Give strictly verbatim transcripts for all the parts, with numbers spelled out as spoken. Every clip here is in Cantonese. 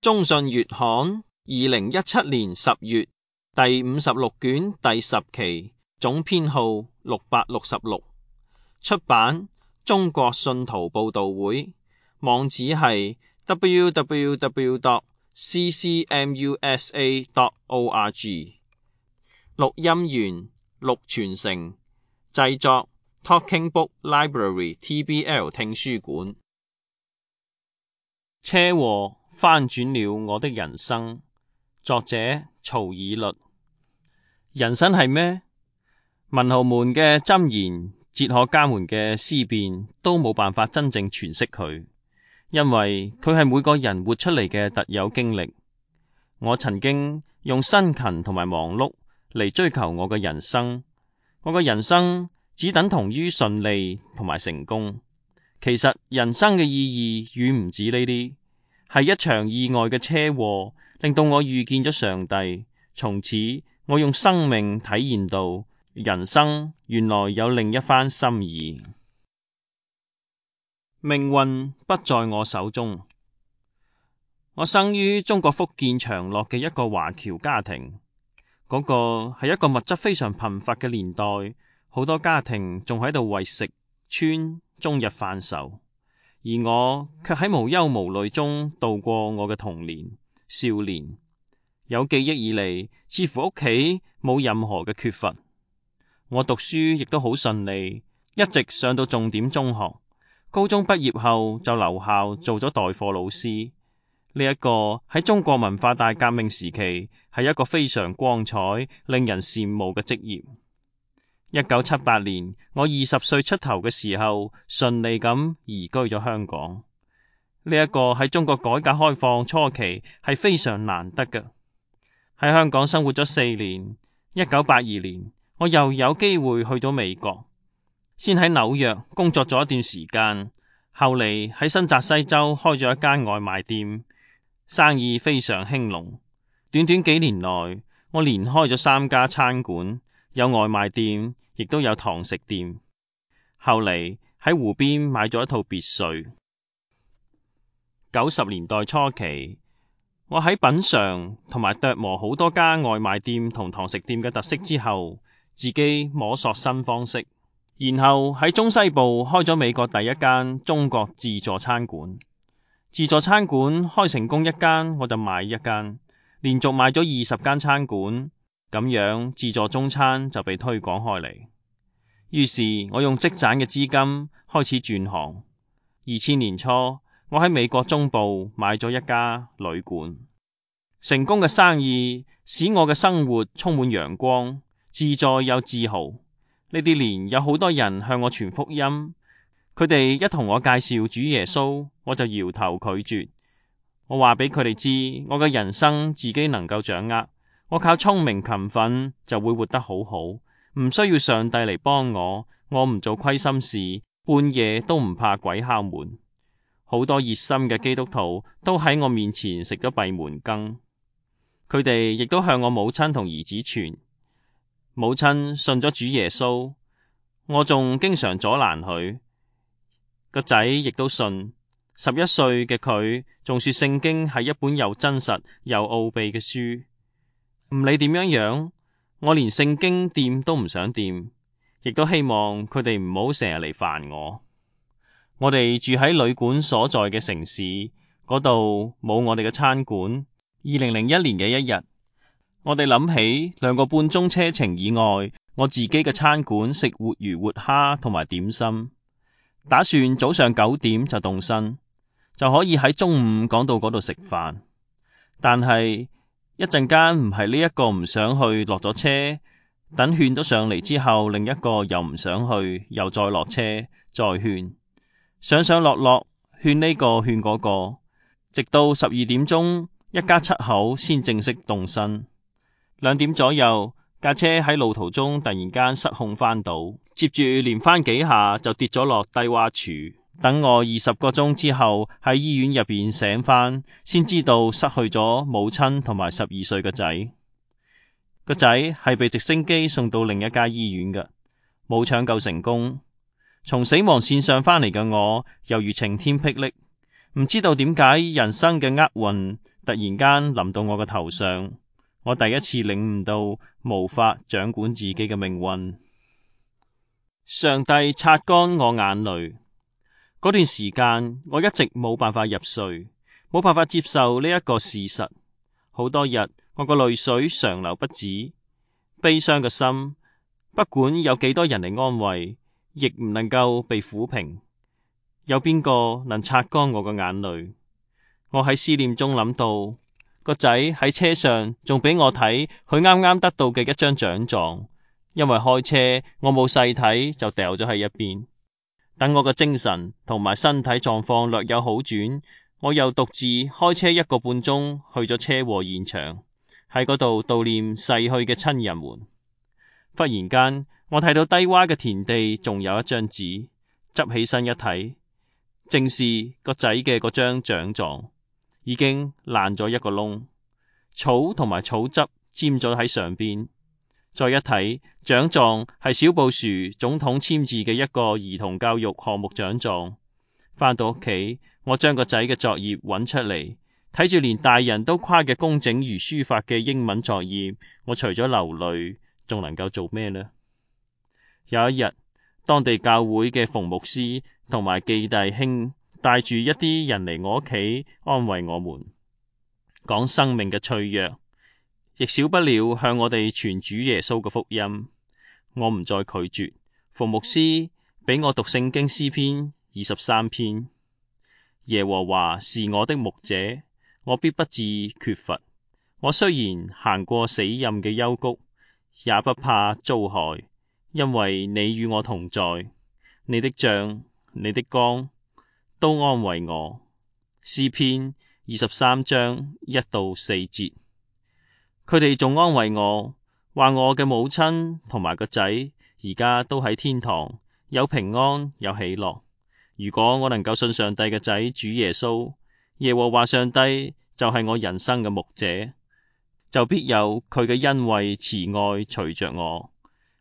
中信月刊二零一七年十月第五十六卷第十期，總編號六百六十六，出版中國信徒報道會，網址係 double-u double-u double-u 點 c c m u s a 點 org。 錄音員陸傳承，製作 Talking Book Library T B L 聽書館。車禍翻轉了我的人生，作者曹以律。人生係咩？文豪們嘅箴言，哲學家們嘅思辨，都冇辦法真正詮釋佢，因為佢係每個人活出嚟嘅特有經歷。我曾經用辛勤同埋忙碌嚟追求我嘅人生，我嘅人生只等同於順利同埋成功。其實人生嘅意義遠唔止呢啲，係一場意外嘅車禍令到我遇見咗上帝，從此我用生命體驗到人生原來有另一番心意。命運不在我手中。我生於中國福建長樂嘅一個華僑家庭，嗰個係一個物質非常貧乏嘅年代，好多家庭仲喺度為食穿終日犯愁，而我卻喺無憂無慮中度過我嘅童年少年。有記憶以嚟，似乎屋企冇任何嘅缺乏。我讀書亦都好順利，一直上到重點中學。高中畢業後就留校做咗代課老師。呢一個喺中國文化大革命時期係一個非常光彩、令人羨慕嘅職業。一九七八年，我二十歲出頭嘅時候，順利咁移居咗香港。呢一個喺中國改革開放初期係非常難得嘅。喺香港生活咗四年，一九八二年，我又有機會去咗美國，先喺紐約工作咗一段時間，後嚟喺新澤西州開咗一間外賣店，生意非常興隆。短短幾年內，我連開咗三家餐館，有外賣店，亦都有堂食店。後嚟喺湖邊買咗一套別墅。九十年代初期，我喺品嘗同埋琢磨好多家外賣店同堂食店嘅特色之後，自己摸索新方式，然後喺中西部開咗美國第一間中國自助餐館。自助餐館開成功一間，我就買一間，連續買咗二十間餐館，咁樣自助中餐就被推廣開嚟。於是我用積攢嘅資金開始轉行。二千年初，我喺美國中部買咗一家旅館。成功嘅生意使我嘅生活充滿陽光，自在又自豪。呢啲年有好多人向我傳福音，佢哋一同我介紹主耶穌，我就搖頭拒絕。我話俾佢哋知，我嘅人生自己能夠掌握，我靠聰明勤奮就會活得好好，唔需要上帝嚟幫我，我唔做虧心事，半夜都唔怕鬼敲門。好多熱心嘅基督徒都喺我面前食咗閉門羹，佢哋亦都向我母親同兒子傳。母親信咗主耶穌，我仲經常阻攔佢。個仔亦都信，十一歲嘅佢仲說聖經係一本又真實又奧秘嘅書。唔理點樣樣，我連聖經掂都唔想掂，亦都希望佢哋唔好成日嚟煩我。我哋住喺旅館所在嘅城市，嗰度冇我哋嘅餐館。二零零一年嘅一日，我哋諗起兩個半鐘車程以外，我自己嘅餐館食活魚活蝦同埋點心，打算早上九點就動身，就可以喺中午趕到嗰度食飯。但係一陣間唔係呢一個唔想去，落咗車，等勸咗上嚟之後，另一個又唔想去，又再落車再勸，上上落落勸呢個勸嗰個，直到十二點鐘，一家七口先正式動身。兩點左右，架車喺路途中突然間失控翻倒，接住連翻幾下就跌咗落低洼處。等我二十個鐘之後喺醫院入邊醒翻，先知道失去咗母親同埋十二歲嘅仔。個仔係被直升機送到另一家醫院嘅，冇搶救成功。從死亡線上翻嚟嘅我，猶如晴天霹靂，唔知道點解人生嘅厄運突然間臨到我嘅頭上，我第一次領悟到無法掌管自己嘅命運。上帝擦乾我眼淚。嗰段時間，我一直冇辦法入睡，冇辦法接受呢一個事實。好多日，我個淚水常流不止，悲傷嘅心，不管有幾多人嚟安慰，亦唔能夠被撫平。有邊個能擦乾我嘅眼淚？我喺思念中諗到個仔喺車上，仲俾我睇佢啱啱得到嘅一張獎狀，因為開車我冇細睇就掉咗喺一邊。等我嘅精神同埋身體狀況略有好轉，我又獨自開車一個半鐘去咗車禍現場，喺嗰度悼念逝去嘅親人們。忽然間，我睇到低窪嘅田地仲有一張紙，執起身一睇，正是個仔嘅嗰張獎狀，已經爛咗一個窿，草同埋草汁沾咗喺上邊。再一睇，獎狀係小布殊總統簽字嘅一個兒童教育項目獎狀。返到屋企，我將個仔嘅作業揾出嚟，睇住連大人都誇嘅工整如書法嘅英文作業，我除咗流淚，仲能夠做咩呢？有一日，當地教會嘅馮牧師同埋記弟兄帶住一啲人嚟我屋企安慰我們，講生命嘅脆弱，亦少不了向我哋傳主耶穌嘅福音。我唔再拒絕，馮牧師俾我讀聖經詩篇二十三篇。耶和華是我的牧者，我必不致缺乏。我雖然行過死蔭嘅幽谷，也不怕遭害，因為你與我同在。你的杖、你的竿都安慰我。詩篇二十三章一到四節。佢哋仲安慰我，話我嘅母親同埋個仔而家都喺天堂，有平安有喜樂。如果我能夠信上帝嘅仔主耶穌，耶和華上帝就係我人生嘅牧者，就必有佢嘅恩惠慈愛隨着我。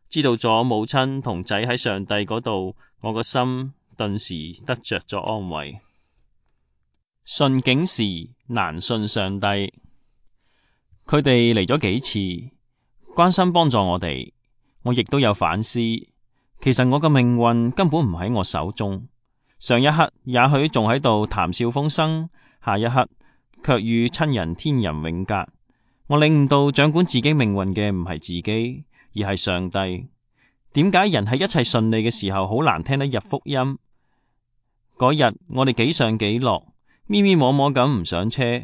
知道咗母親同仔喺上帝嗰度，我個心頓時得着咗安慰。順境時難信上帝。佢哋嚟咗幾次，關心幫助我哋，我亦都有反思。其實我嘅命運根本唔喺我手中。上一刻也許仲喺度談笑風生，下一刻卻與親人天人永隔。我領悟到掌管自己命運嘅唔係自己，而係上帝。點解人喺一切順利嘅時候好難聽得入福音？嗰日我哋幾上幾落，咪咪摸摸咁唔上車。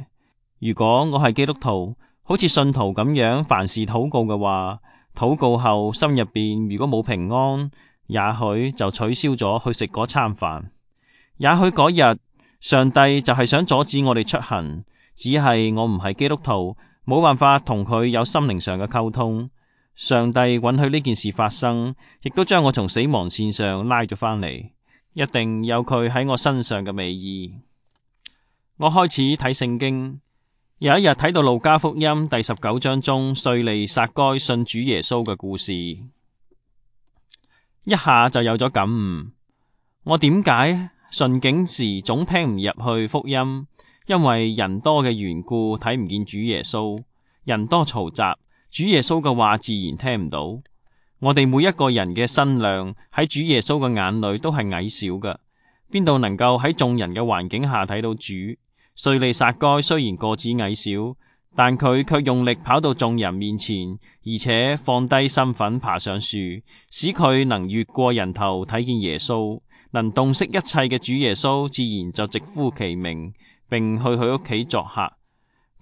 如果我係基督徒，好似信徒咁樣，凡事禱告嘅話，禱告後心入邊如果冇平安，也許就取消咗去食嗰餐飯。也許嗰日上帝就係想阻止我哋出行，只係我唔係基督徒，冇辦法同佢有心靈上嘅溝通。上帝允許呢件事發生，亦都將我從死亡線上拉咗返嚟，一定有佢喺我身上嘅美意。我開始睇聖經。有一日睇到路加福音第十九章中稅吏撒該信主耶穌嘅故事，一下就有咗感悟。我點解順境時總聽唔入去福音？因為人多嘅緣故，睇唔見主耶穌。人多嘈雜，主耶穌嘅話自然聽唔到。我哋每一個人嘅身量喺主耶穌嘅眼裏都係矮小嘅，邊度能夠喺眾人嘅環境下睇到主？稅吏撒該雖然個子矮小，但佢卻用力跑到眾人面前，而且放低身份爬上樹，使佢能越過人頭睇見耶穌，能洞悉一切嘅主耶穌，自然就直呼其名，並去佢屋企作客。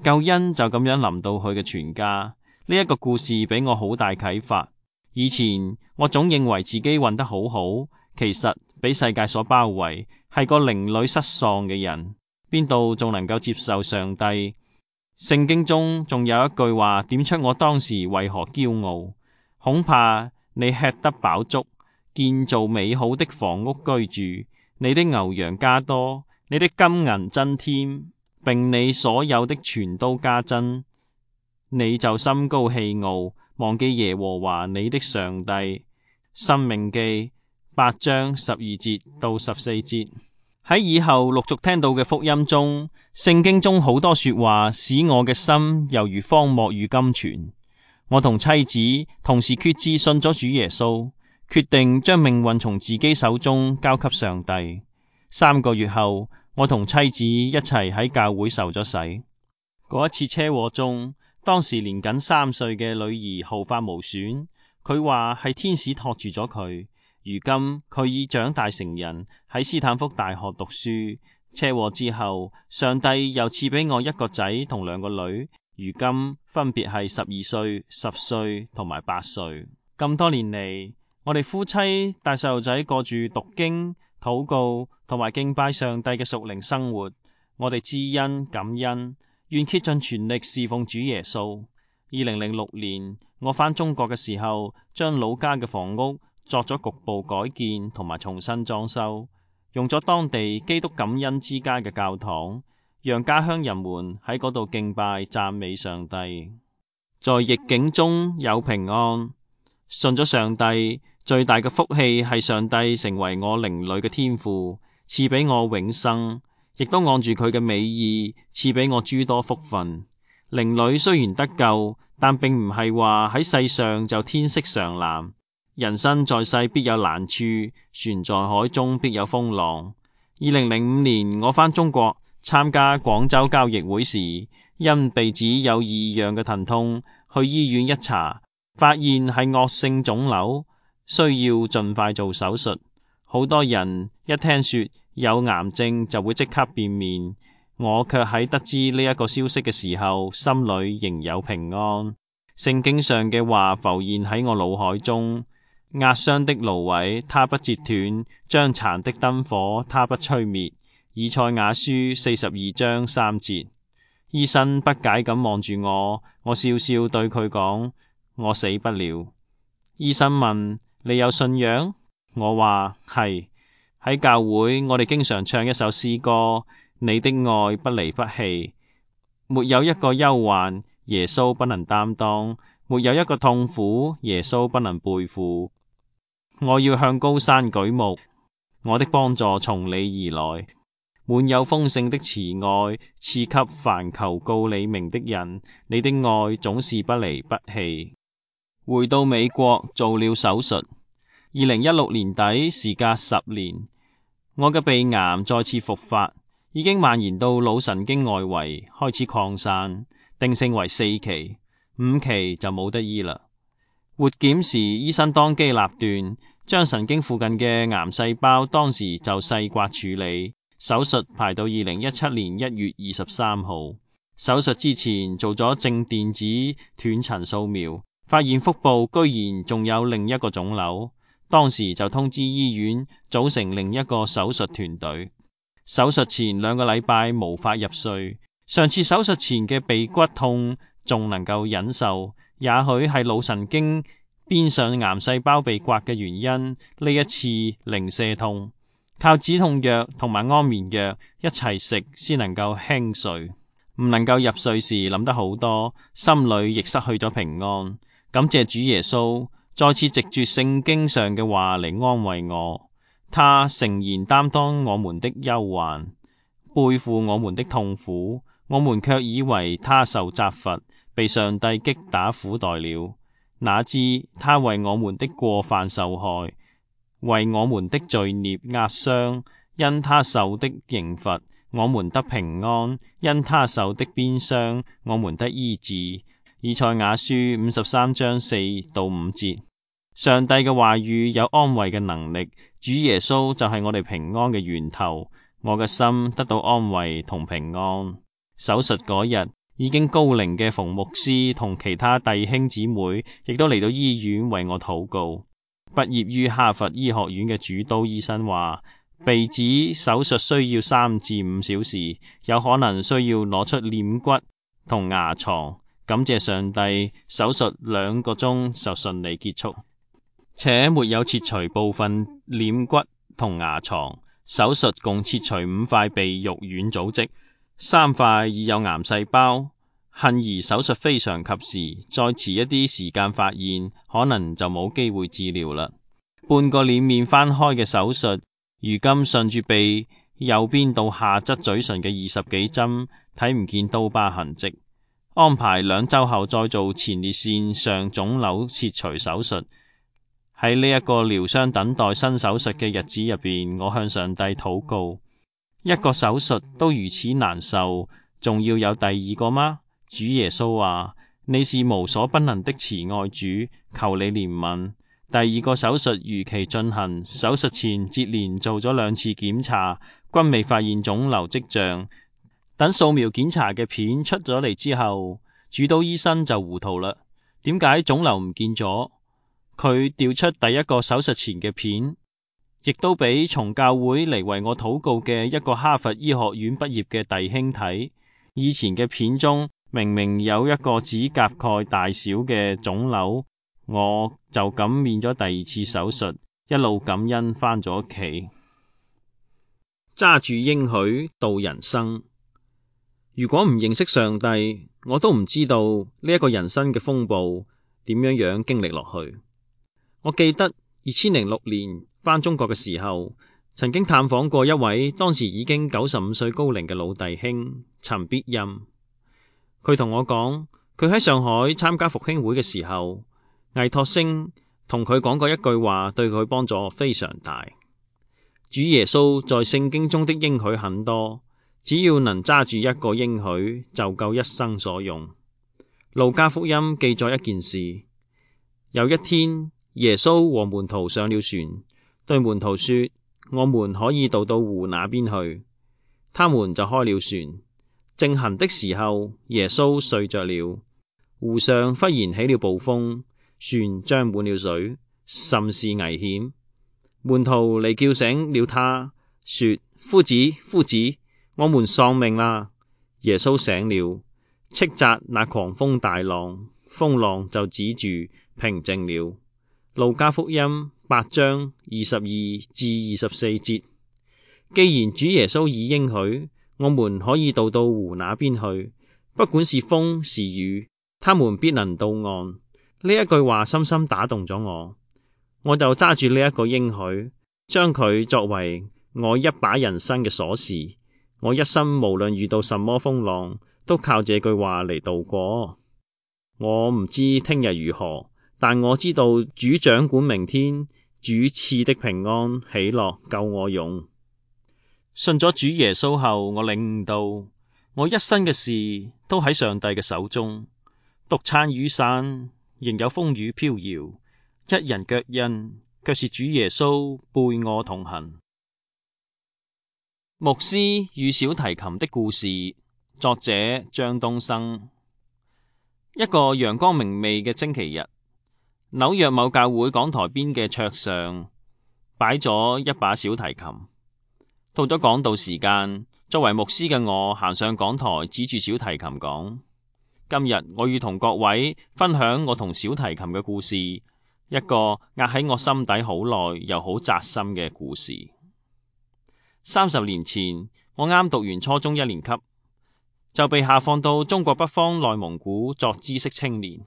救恩就咁樣臨到佢嘅全家。呢一個故事俾我好大啟發。以前我總認為自己混得好好，其實俾世界所包圍，係個靈裡失喪嘅人。邊度仲能夠接受上帝？聖經中仲有一句話點出我當時為何驕傲。恐怕你吃得飽足，建造美好的房屋居住，你的牛羊加多，你的金銀增添，並你所有的全都加增，你就心高氣傲，忘記耶和華你的上帝。申命記八章十二節到十四節。喺以後陸續聽到嘅福音中，聖經中好多說話使我嘅心猶如荒漠與甘泉。我同妻子同時決志信咗主耶穌，決定將命運從自己手中交給上帝。三個月後，我同妻子一齊喺教會受咗洗。嗰一次車禍中，當時年僅三歲嘅女兒毫髮無損，佢話係天使托住咗佢。如今佢已長大成人，喺斯坦福大學讀書。車禍之後，上帝又賜俾我一個仔同兩個女，如今分別係十二歲、十歲同埋八歲。咁多年嚟，我哋夫妻帶細路仔過住讀經、禱告同埋敬拜上帝嘅屬靈生活。我哋知恩感恩，願竭盡全力侍奉主耶穌。二零零六年，我返中國嘅時候，將老家嘅房屋作咗局部改建同埋重新裝修，用咗當地基督感恩之家嘅教堂，讓家鄉人們喺嗰度敬拜讚美上帝。在逆境中有平安，信咗上帝，最大嘅福氣係上帝成為我靈裏嘅天父，賜俾我永生，亦都按住佢嘅美意賜俾我諸多福分。靈裏雖然得救，但並唔係話喺世上就天色常藍。人生在世必有難處，船在海中必有風浪。二零零五年我返中國參加廣州交易會時，因鼻子有異樣嘅疼痛，去醫院一查，發現係惡性腫瘤，需要盡快做手術。好多人一聽說有癌症就會即刻變面，我卻喺得知呢一個消息嘅時候，心裏仍有平安。聖經上嘅話浮現喺我腦海中。壓傷的蘆葦，他不折斷；將殘的燈火，他不吹滅。以賽亞書四十二章三節。醫生不解咁望住我，我笑笑對佢講：我死不了。醫生問：你有信仰？我話係。喺教會，我哋經常唱一首詩歌：你的愛不離不棄。沒有一個憂患，耶穌不能擔當；沒有一個痛苦，耶穌不能背負。我要向高山舉目，我的幫助從你而來。滿有豐盛的慈愛，賜給凡求告你名的人。你的愛總是不離不棄。回到美國做了手術。二零一六年底，時隔十年，我嘅鼻癌再次復發，已經蔓延到腦神經外圍，開始擴散，定性為四期，五期就冇得醫啦。活檢時，醫生當機立斷，將神經附近嘅癌細胞當時就細刮處理。手術排到二零一七年一月二十三號。手術之前做咗正電子斷層掃描，發現腹部居然仲有另一個腫瘤。當時就通知醫院組成另一個手術團隊。手術前兩個禮拜無法入睡，上次手術前嘅鼻骨痛仲能夠忍受。也許係腦神經邊上癌細胞被刮嘅原因，呢一次零舍痛，靠止痛藥同埋安眠藥一齊食先能夠輕睡。唔能夠入睡時諗得好多，心裏亦失去咗平安。感謝主耶穌再次藉住聖經上嘅話嚟安慰我，他誠然擔當我們的憂患，背負我們的痛苦，我們卻以為他受責罰，被上帝擊打苦待了。哪知他為我們的過犯受害，為我們的罪孽壓傷。因他受的刑罰，我們得平安；因他受的鞭傷，我們得醫治。以賽亞書五十三章四到五節。上帝嘅話語有安慰嘅能力，主耶穌就係我哋平安嘅源頭。我嘅心得到安慰同平安。手術嗰日，已經高齡嘅馮牧師同其他弟兄姊妹亦都嚟到醫院為我禱告。畢業於哈佛醫學院嘅主刀醫生話，鼻子手術需要三至五小時，有可能需要攞出臉骨同牙床。感謝上帝，手術兩個鐘就順利結束，且沒有切除部分臉骨同牙床。手術共切除五塊鼻肉軟組織，三塊已有癌細胞。幸而手術非常及時，再遲一啲時間發現，可能就冇機會治療啦。半個臉面翻開嘅手術，如今順住鼻右邊到下側嘴唇嘅二十幾針，睇唔見刀疤痕跡。安排兩週後再做前列腺上腫瘤切除手術。喺呢一個療傷等待新手術嘅日子入邊，我向上帝禱告：一個手術都如此難受，仲要有第二個嗎？主耶穌話：你是無所不能的慈愛主，求你憐憫。第二個手術如期進行，手術前接連做咗兩次檢查，均未發現腫瘤跡象。等掃描檢查嘅片出咗嚟之後，主刀醫生就糊塗啦。點解腫瘤唔見咗？佢調出第一個手術前嘅片，亦都俾從教會嚟為我禱告嘅一個哈佛醫學院畢業嘅弟兄睇。以前嘅片中明明有一個指甲蓋大小嘅腫瘤，我就咁免咗第二次手術，一路感恩返咗屋企。揸住應許度人生。如果唔認識上帝，我都唔知道呢一個人生嘅風暴點樣樣經歷落去。我記得二千零六年返中國嘅時候，曾經探訪過一位當時已經九十五歲高齡嘅老弟兄陳必欽。佢同我講，佢喺上海參加復興會嘅時候，倪柝聲同佢講過一句話，對佢幫助非常大。主耶穌在聖經中的應許很多，只要能揸住一個應許，就夠一生所用。路加福音記載一件事：有一天，耶穌和門徒上了船，對門徒說：我們可以渡到湖那邊去。他們就開了船。正行的時候，耶穌睡着了。湖上忽然起了暴風，船漲滿了水，甚是危險。門徒嚟叫醒了他，說：夫子，夫子，我們喪命啦！耶穌醒了，斥責那狂風大浪，風浪就止住，平靜了。路加福音八章二十二至二十四節。既然主耶穌已應許，我們可以渡到湖那邊去，不管是風是雨，他們必能到岸。呢一句話深深打動咗我，我就揸住呢一個應許，將佢作為我一把人生嘅鎖匙。我一生無論遇到什麼風浪，都靠這句話嚟度過。我唔知聽日如何，但我知道主掌管明天，主賜的平安喜樂夠我用。信咗主耶穌後，我領悟到我一生嘅事都喺上帝嘅手中。獨撐雨傘，仍有風雨飄搖；一人腳印，卻是主耶穌背我同行。牧師與小提琴的故事，作者張東生。一個陽光明媚嘅星期日，紐約某教會講台邊嘅桌上擺咗一把小提琴。到咗講道時間，作為牧師嘅我行上講台，指住小提琴講：今日我要同各位分享我同小提琴嘅故事，一個壓喺我心底好耐又好扎心嘅故事。三十年前，我啱讀完初中一年級，就被下放到中國北方內蒙古作知識青年。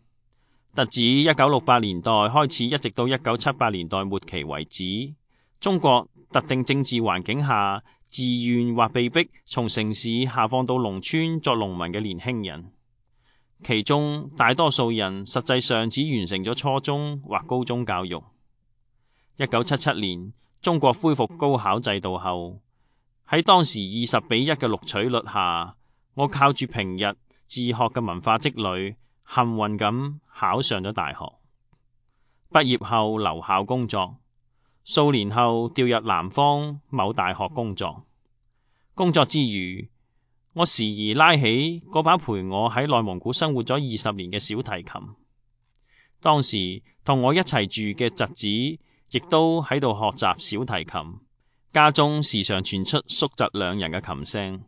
特指一九六八年代開始，一直到一九七八年代末期為止，中國特定政治環境下，自願或被逼從城市下放到農村作農民嘅年輕人，其中大多數人實際上只完成咗初中或高中教育。一九七七年，中國恢復高考制度後，喺當時二十比一嘅錄取率下，我靠住平日自學嘅文化積累，幸運咁考上咗大學。畢業後留校工作，數年後調入南方某大學工作。工作之餘，我時而拉起嗰把陪我喺內蒙古生活咗二十年嘅小提琴。當時同我一齊住嘅侄子亦都喺度學習小提琴，家中時常傳出叔侄兩人嘅琴聲。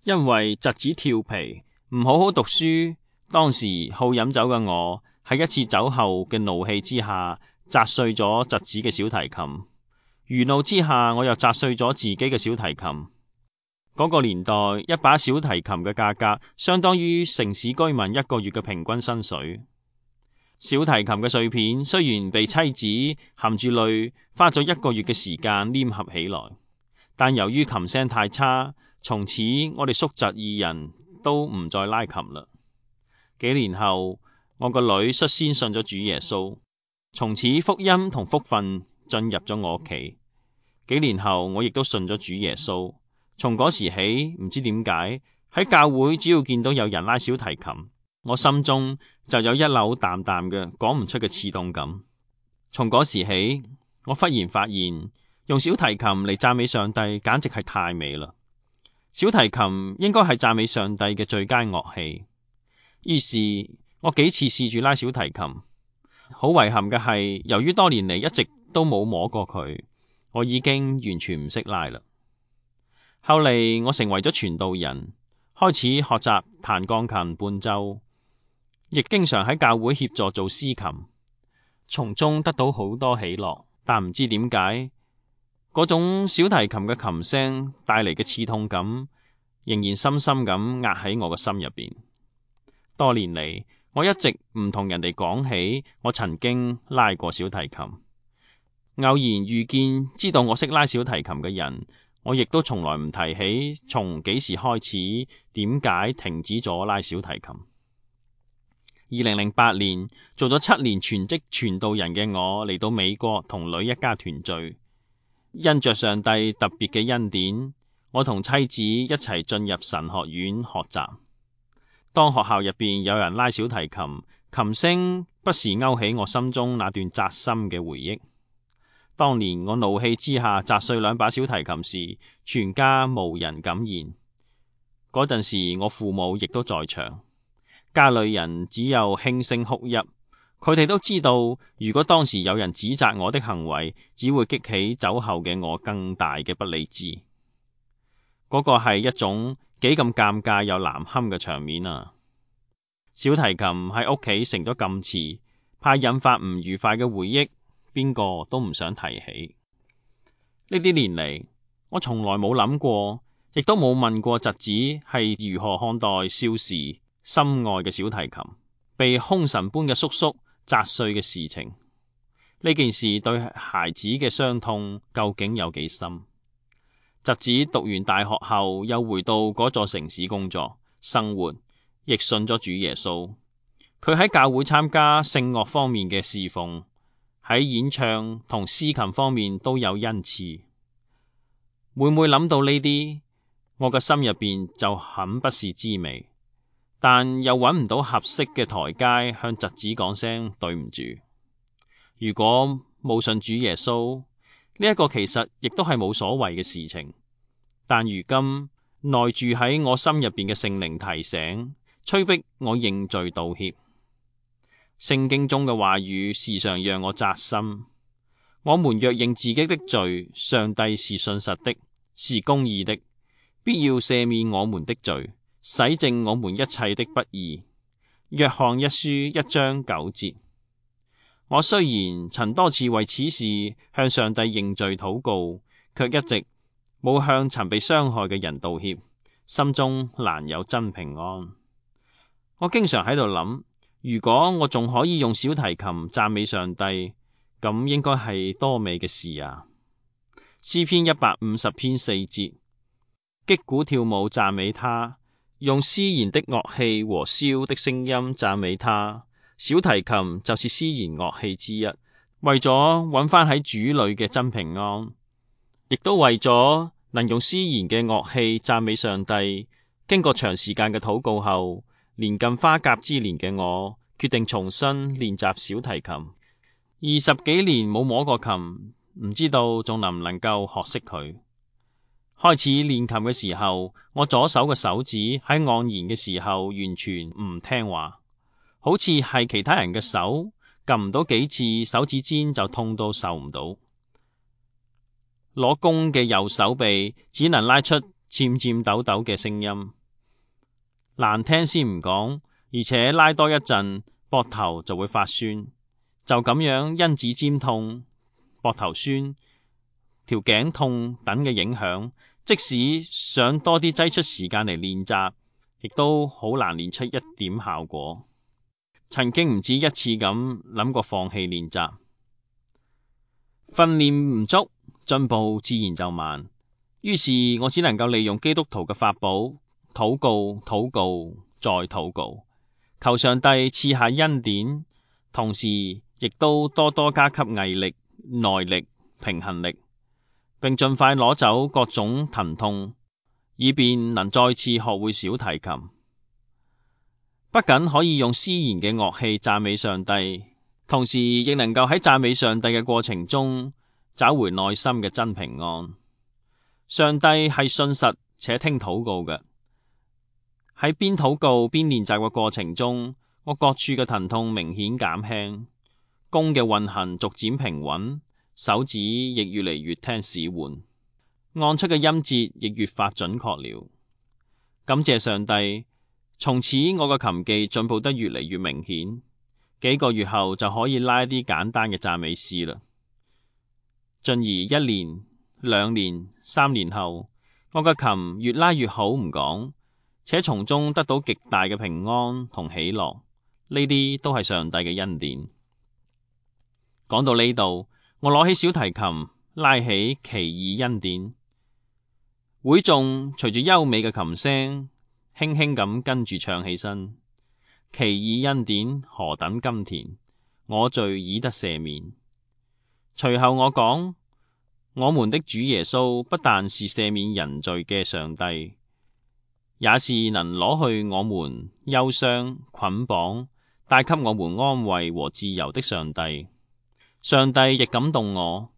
因為侄子調皮，唔好好讀書，當時好飲酒嘅我喺一次酒後嘅怒氣之下，砸碎咗侄子嘅小提琴。餘怒之下，我又砸碎咗自己嘅小提琴。嗰個年代，一把小提琴嘅價格相當於城市居民一個月嘅平均薪水。小提琴嘅碎片雖然被妻子含住淚花咗一個月嘅時間黏合起來，但由於琴聲太差，從此我哋叔侄二人都唔再拉琴啦。幾年後，我個女率先信咗主耶穌，從此福音同福分進入咗我屋企。幾年後，我亦都信咗主耶穌。從嗰時起，唔知點解喺教會只要見到有人拉小提琴，我心中就有一縷淡淡嘅講唔出嘅刺痛感。從嗰時起，我忽然發現用小提琴嚟讚美上帝簡直係太美啦。小提琴應該係讚美上帝嘅最佳樂器。於是我幾次試住拉小提琴，好遺憾嘅係，由於多年嚟一直都冇摸過佢，我已經完全唔識拉啦。後嚟我成為咗傳道人，開始學習彈鋼琴伴奏，亦經常喺教會協助做司琴，從中得到好多喜樂。但唔知點解，嗰種小提琴嘅琴聲帶嚟嘅刺痛感，仍然深深咁壓喺我嘅心入邊。多年嚟，我一直唔同人哋講起我曾經拉過小提琴。偶然遇見知道我識拉小提琴嘅人，我亦都從來唔提起從幾時開始，點解停止咗拉小提琴。二零零八年，做咗七年全職傳道人嘅我嚟到美國同女一家團聚，因着上帝特別嘅恩典，我同妻子一齊進入神學院學習。當學校入邊有人拉小提琴，琴聲不時勾起我心中那段扎心嘅回憶。當年我怒氣之下砸碎兩把小提琴時，全家無人敢言。嗰陣時我父母亦都在場，家裏人只有輕聲哭泣。佢哋都知道，如果當時有人指責我的行為，只會激起酒後嘅我更大嘅不理智。嗰個係一種幾咁尷尬又難堪嘅場面啊！小提琴喺屋企成咗禁詞，怕引發唔愉快嘅回憶，邊個都唔想提起。呢啲年嚟，我從來冇諗過，亦都冇問過侄子係如何看待少時心愛嘅小提琴被凶神般嘅叔叔砸碎嘅事情。呢件事對孩子嘅傷痛究竟有幾深？侄子讀完大學後，又回到嗰座城市工作生活，亦信咗主耶穌。佢喺教會參加聖樂方面嘅侍奉，喺演唱同司琴方面都有恩賜。每每諗到呢啲，我嘅心入邊就很不是滋味，但又揾唔到合適嘅台階向侄子講聲對唔住。如果冇信主耶穌，呢一個其實亦都係冇所謂嘅事情，但如今內住喺我心入邊嘅聖靈提醒，催逼我認罪道歉。聖經中嘅話語時常讓我扎心。我們若認自己的罪，上帝是信實的，是公義的，必要赦免我們的罪，洗淨我們一切的不義。約翰一書一章九節。我雖然曾多次為此事向上帝認罪禱告，卻一直冇向曾被傷害嘅人道歉，心中難有真平安。我經常喺度諗，如果我仲可以用小提琴讚美上帝，咁應該係多美嘅事啊！詩篇一百五十篇四節，擊鼓跳舞讚美他，用絲弦的樂器和簫的聲音讚美他。小提琴就是絲弦樂器之一，為咗揾返喺主裏嘅真平安，亦都為咗能用絲弦嘅樂器讚美上帝。經過長時間嘅禱告後，年近花甲之年嘅我決定重新練習小提琴。二十幾年冇摸過琴，唔知道仲能唔能夠學識佢。開始練琴嘅時候，我左手嘅手指喺按弦嘅時候完全唔聽話，好似係其他人嘅手，撳唔到幾次，手指尖就痛到受唔到。攞弓嘅右手臂只能拉出漸漸抖抖嘅聲音，難聽先唔講，而且拉多一陣，膊頭就會發酸。就咁樣因指尖痛、膊頭酸、條頸痛等嘅影響，即使想多啲擠出時間嚟練習，亦都好難練出一點效果。曾經唔止一次咁諗過放棄練習，訓練唔足，進步自然就慢。於是我只能夠利用基督徒嘅法寶，禱告、禱告、再禱告，求上帝賜下恩典，同時亦都多多加給毅力、耐力、平衡力，並盡快攞走各種疼痛，以便能再次學會小提琴。不僅可以用絲弦嘅樂器讚美上帝，同時亦能夠喺讚美上帝嘅過程中找回內心嘅真平安。上帝係信實且聽禱告嘅。喺邊禱告邊練習嘅過程中，我各處嘅疼痛明顯減輕，弓嘅運行逐漸平穩，手指亦越嚟越聽使喚，按出嘅音節亦越發準確了。感謝上帝，從此我嘅琴技進步得越嚟越明顯，幾個月後就可以拉一啲簡單嘅讚美詩啦。進而一年、兩年、三年後，我嘅琴越拉越好唔講，且從中得到極大嘅平安同喜樂，呢啲都係上帝嘅恩典。講到呢度，我攞起小提琴，拉起奇異恩典，會眾隨住優美嘅琴聲，輕輕咁跟住唱起身。奇異恩典何等甘甜，我罪已得赦免。隨後我講，我們的主耶穌不但是赦免人罪嘅上帝，也是能攞去我們憂傷捆綁，帶給我們安慰和自由的上帝。上帝亦感動我，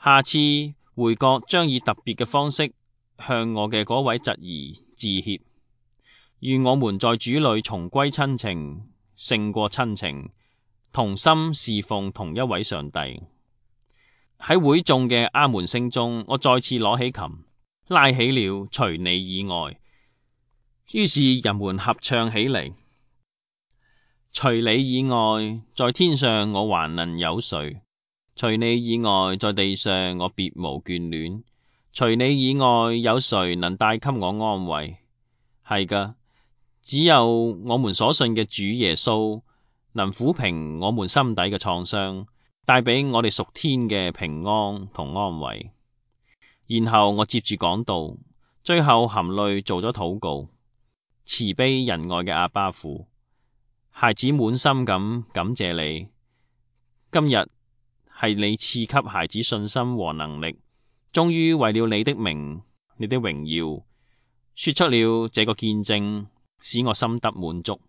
下次回國將以特別嘅方式向我嘅嗰位侄兒致歉。願我們在主裏重歸親情，勝過親情，同心侍奉同一位上帝。喺會眾嘅阿門聲中，我再次攞起琴，拉起了除你以外。於是人們合唱起嚟。除你以外，在天上我還能有誰？除你以外，在地上我別無眷戀。除你以外，有誰能帶給我安慰？係噶，只有我們所信嘅主耶穌能撫平我們心底嘅創傷，帶俾我哋屬天嘅平安同安慰。然後我接住講道，最後含淚做咗禱告。慈悲仁愛嘅阿爸父，孩子滿心咁感謝你，今日係你賜給孩子信心和能力，終於為了你的名、你的榮耀，說出了這個見證，使我心得滿足。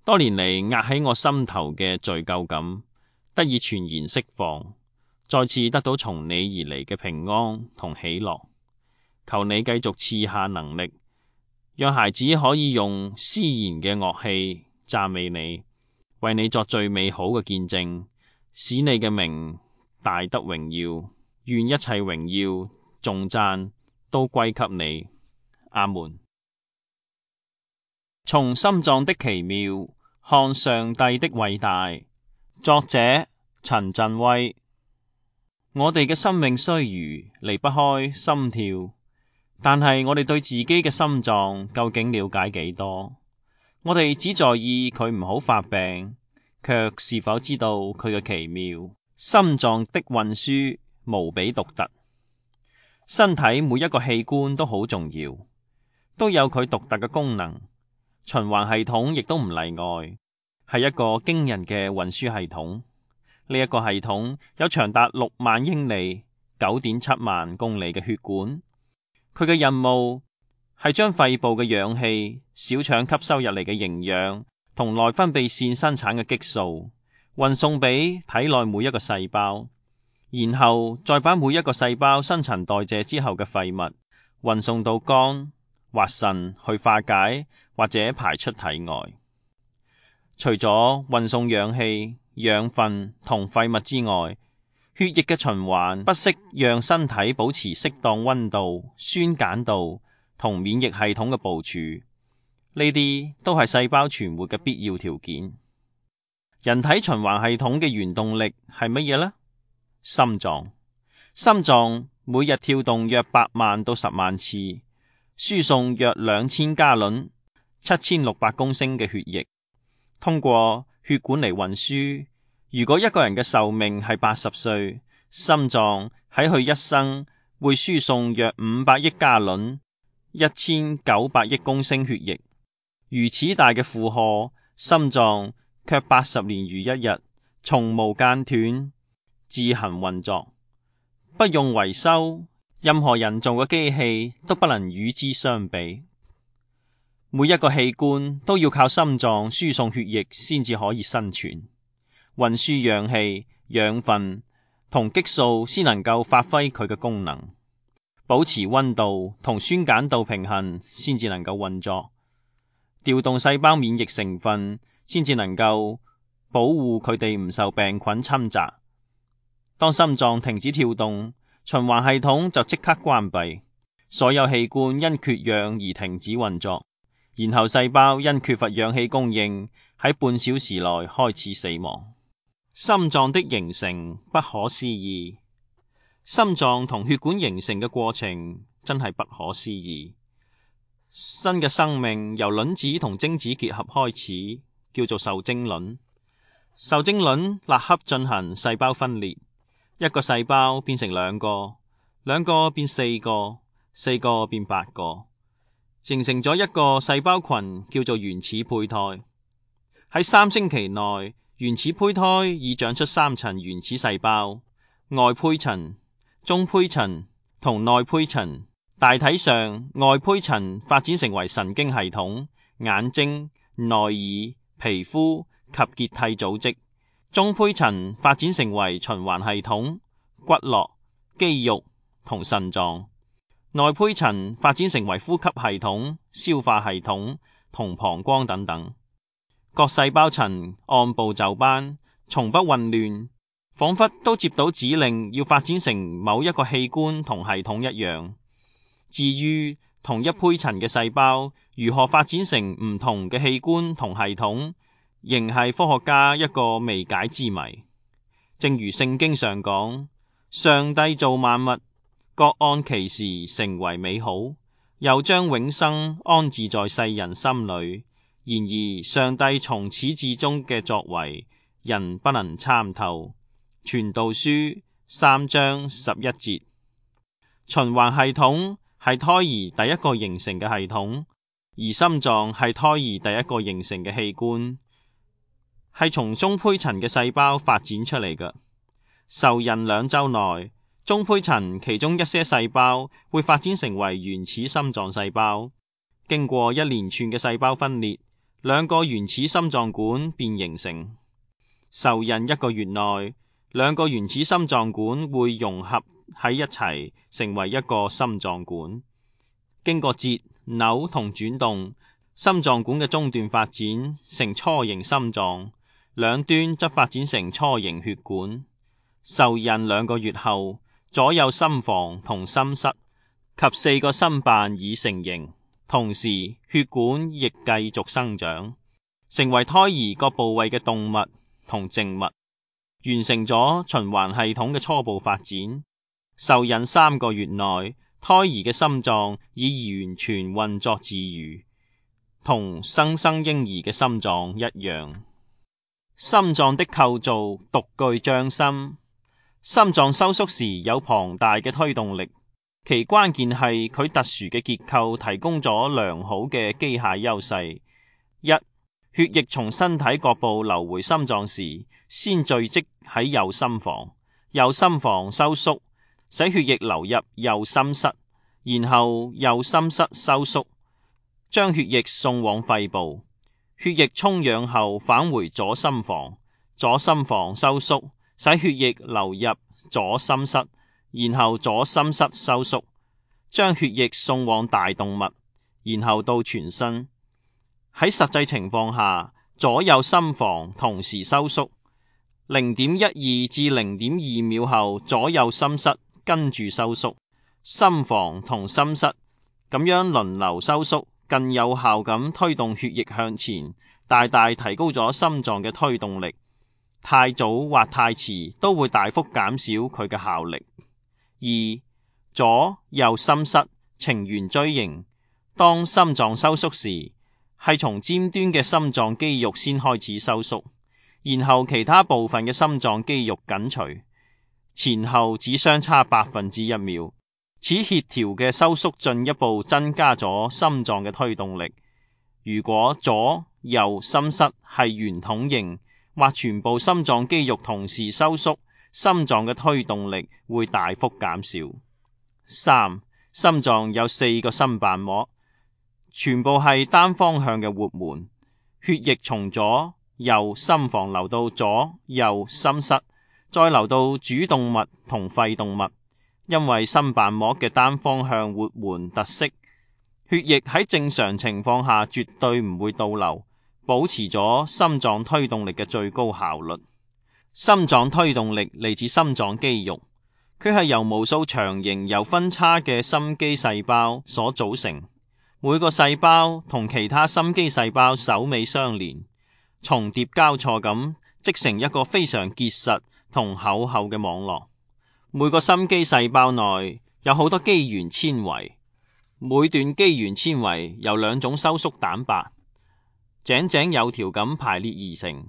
多年嚟壓喺我心頭嘅罪疚感得以全然釋放，再次得到從你而嚟嘅平安同喜樂。求你繼續賜下能力，讓孩子可以用絲弦嘅樂器讚美你，為你作最美好嘅見證，使你嘅名大得榮耀。願一切榮耀頌讚都歸給你。阿門。從心臟的奇妙看上帝的偉大。作者陳振威。我哋嘅生命雖如離不開心跳，但係我哋對自己嘅心臟究竟了解幾多？我哋只在意佢唔好發病，卻是否知道佢嘅奇妙？心臟的運輸無比獨特，身體每一個器官都好重要，都有佢獨特嘅功能。循環系統亦都唔例外，係一個驚人嘅運輸系統。呢、這、一個系統有長達六萬英里、九點七萬公里嘅血管，佢嘅任務係將肺部嘅氧氣、小腸吸收入嚟嘅營養同內分泌腺生產嘅激素運送俾體內每一個細胞，然後再把每一個細胞新陳代謝之後嘅廢物運送到肝或腎去化解或者排出體外。除咗運送氧氣、養分同廢物之外，血液嘅循環不惜讓身體保持適當溫度、酸鹼度同免疫系統嘅部署，呢啲都係細胞存活嘅必要條件。人體循環系統嘅原動力係乜嘢呢？心臟。心臟每日跳動約八萬到十萬次，輸送約兩千加侖、七千六百公升嘅血液，通過血管嚟運輸。如果一個人嘅壽命係八十歲，心臟喺佢一生會輸送約五百億加侖，一千九百億公升血液。如此大嘅負荷，心臟卻八十年如一日，從無間斷，自行運作，不用維修。任何人造嘅機器都不能與之相比。每一個器官都要靠心臟輸送血液先至可以生存，運輸氧氣、養分同激素先能夠發揮佢嘅功能，保持溫度同酸鹼度平衡先至能夠運作，調動細胞免疫成分先至能夠保護佢哋唔受病菌侵襲。當心臟停止跳動，循環系統就即刻關閉，所有器官因缺氧而停止運作，然後細胞因缺乏氧氣供應，喺半小時內開始死亡。心臟的形成不可思議，心臟同血管形成嘅過程真係不可思議。新嘅生命由卵子同精子結合開始，叫做受精卵。受精卵立刻進行細胞分裂。一個細胞變成兩個，兩個變四個，四個變八個，形成咗一個細胞群，叫做原始胚胎。喺三星期內，原始胚胎已長出三層原始細胞：外胚層、中胚層同內胚層。大體上，外胚層發展成為神經系統、眼睛、內耳、皮膚及結締組織。中胚層發展成為循環系統、骨骼、肌肉同腎臟。內胚層發展成為呼吸系統、消化系統同膀胱等等。各細胞層按部就班，從不混亂，仿佛都接到指令要發展成某一個器官同系統一樣。至於同一胚層嘅細胞如何發展成唔同嘅器官同系統，仍係科學家一個未解之謎。正如聖經上講，上帝造萬物，各按其時成為美好，又將永生安置在世人心裏。然而上帝從始至終嘅作為，人不能參透。傳道書三章十一節。循環系統係胎兒第一個形成嘅系統，而心臟係胎兒第一個形成嘅器官，係從中胚層嘅細胞發展出嚟嘅。受孕兩週內，中胚層其中一些細胞會發展成為原始心臟細胞，經過一連串嘅細胞分裂，兩個原始心臟管便形成。受孕一個月內，兩個原始心臟管會融合喺一齊，成為一個心臟管。經過折、扭同轉動，心臟管嘅中段發展成雛形心臟，兩端則發展成雛形血管。受孕兩個月後，左右心房同心室及四個心瓣已成形，同時血管亦繼續生長，成為胎兒各部位嘅動脈同靜脈，完成咗循環系統嘅初步發展。受孕三個月內，胎兒嘅心臟已完全運作自如，同新生嬰兒嘅心臟一樣。心臟的構造獨具匠心。心臟收縮時有龐大嘅推動力，其關鍵係佢特殊嘅結構提供咗良好嘅機械優勢。一、血液從身體各部流回心臟時，先聚集喺右心房，右心房收縮，使血液流入右心室，然後右心室收縮，將血液送往肺部。血液充氧後返回左心房，左心房收縮，使血液流入左心室，然後左心室收縮，將血液送往大動脈，然後到全身。喺實際情況下，左右心房同時收縮，零點一二至零點二秒後，左右心室跟住收縮，心房同心室咁樣輪流收縮，更有效咁推動血液向前，大大提高咗心臟嘅推動力。太早或太遲都會大幅減少佢嘅效力。二、左右心室呈圓錐形。當心臟收縮時，係從尖端嘅心臟肌肉先開始收縮，然後其他部分嘅心臟肌肉緊隨，前後只相差百分之一秒。此協調嘅收縮進一步增加咗心臟嘅推動力。如果左右心室係圓筒形，或全部心臟肌肉同時收縮，心臟嘅推動力會大幅減少。三、心臟有四個心瓣膜，全部係單方向嘅活門，血液從左右心房流到左右心室，再流到主動脈同肺動脈。因為心瓣膜嘅單方向活門特色，血液喺正常情況下絕對唔會倒流，保持咗心臟推動力嘅最高效率。心臟推動力嚟自心臟肌肉，佢係由無數長形又分叉嘅心肌細胞所組成，每個細胞同其他心肌細胞首尾相連，重疊交錯咁織成一個非常結實同厚厚嘅網絡。每個心肌細胞內有好多肌原纖維，每段肌原纖維由兩種收縮蛋白井井有條咁排列而成，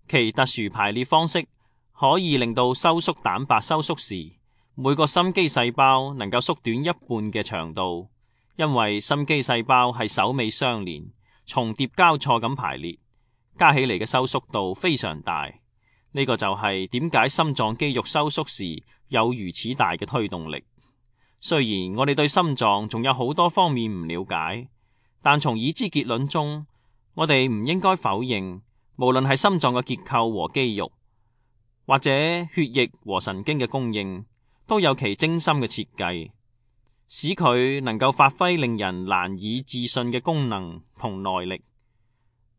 其特殊排列方式可以令到收縮蛋白收縮時，每個心肌細胞能夠縮短一半嘅長度，因為心肌細胞係首尾相連，重疊交錯咁排列，加起嚟嘅收縮度非常大。呢個就係點解心臟肌肉收縮時有如此大嘅推動力。雖然我哋對心臟仲有好多方面唔了解，但從已知結論中，我哋唔應該否認，無論係心臟嘅結構和肌肉，或者血液和神經嘅供應，都有其精心嘅設計，使佢能夠發揮令人難以置信嘅功能同耐力。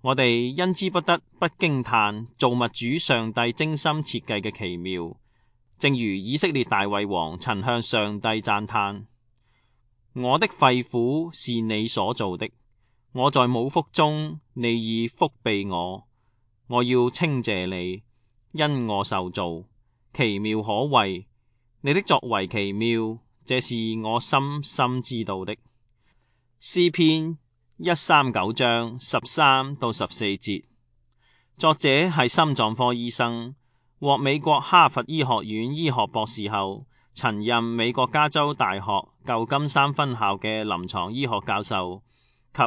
我哋因之不得不驚嘆造物主上帝精心設計嘅奇妙，正如以色列大衛王曾向上帝讚嘆：我的肺腑是你所造的，我在母腹中，你已覆庇我，我要稱謝你，因我受造，奇妙可畏，你的作為奇妙，這是我深深知道的。詩篇一三九章十三到十四節，作者係心臟科醫生，獲美國哈佛醫學院醫學博士後，曾任美國加州大學舊金山分校嘅臨床醫學教授及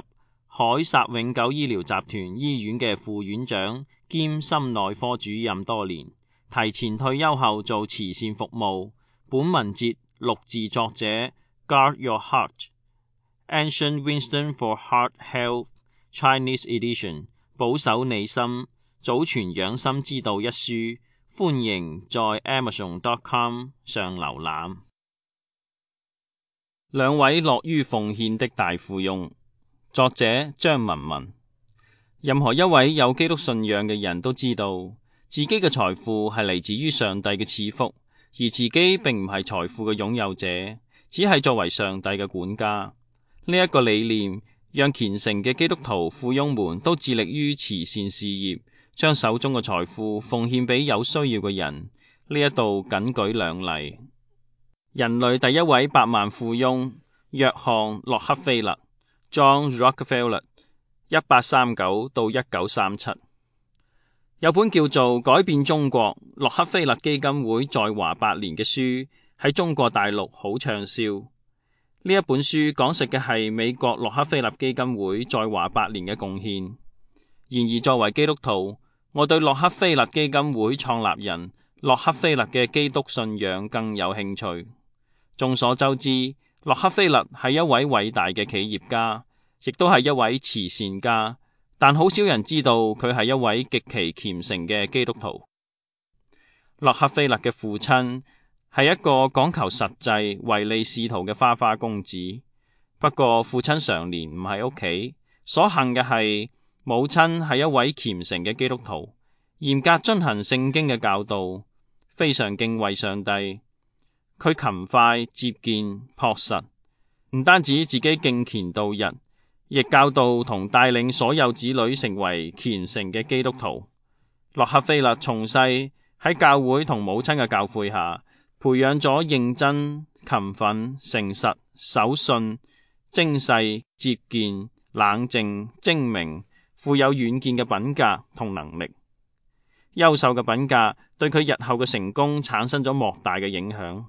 凱撒永久醫療集團醫院嘅副院長兼心內科主任多年，提前退休後做慈善服務。本文節錄自作者 Guard Your Heart。Ancient Wisdom for Heart Health Chinese Edition， 保守你心，祖傳養心之道一書，歡迎在 amazon dot com 上瀏覽。兩位樂於奉獻的大富翁，作者張文文。任何一位有基督信仰嘅人都知道，自己嘅財富係嚟自於上帝嘅賜福，而自己並唔係財富嘅擁有者，只係作為上帝嘅管家。呢一個理念讓虔誠嘅基督徒富翁們都致力於慈善事業，將手中嘅財富奉獻俾有需要嘅人。呢一度僅舉兩例。人類第一位百萬富翁約翰洛克菲勒 John Rockefeller， 一八三九到一九三七，有本叫做《改變中國洛克菲勒基金會在華百年》嘅書喺中國大陸好暢銷。呢一本書講述嘅係美國洛克菲勒基金會在華百年嘅貢獻。然而作為基督徒，我對洛克菲勒基金會創立人洛克菲勒嘅基督信仰更有興趣。眾所周知，洛克菲勒係一位偉大嘅企業家，亦都係一位慈善家，但好少人知道佢係一位極其虔誠嘅基督徒。洛克菲勒嘅父親係一個講求實際、唯利是圖嘅花花公子。不過父親常年唔喺屋企，所幸嘅係母親係一位虔誠嘅基督徒，嚴格遵行聖經嘅教導，非常敬畏上帝。佢勤快、節儉、樸實，唔單止自己敬虔度日，亦教導同帶領所有子女成為虔誠嘅基督徒。洛克菲勒從細喺教會同母親嘅教誨下，培養咗認真、勤奮、誠實、守信、精細、節儉、冷靜、精明、富有遠見嘅品格同能力。優秀嘅品格對佢日後嘅成功產生咗莫大嘅影響。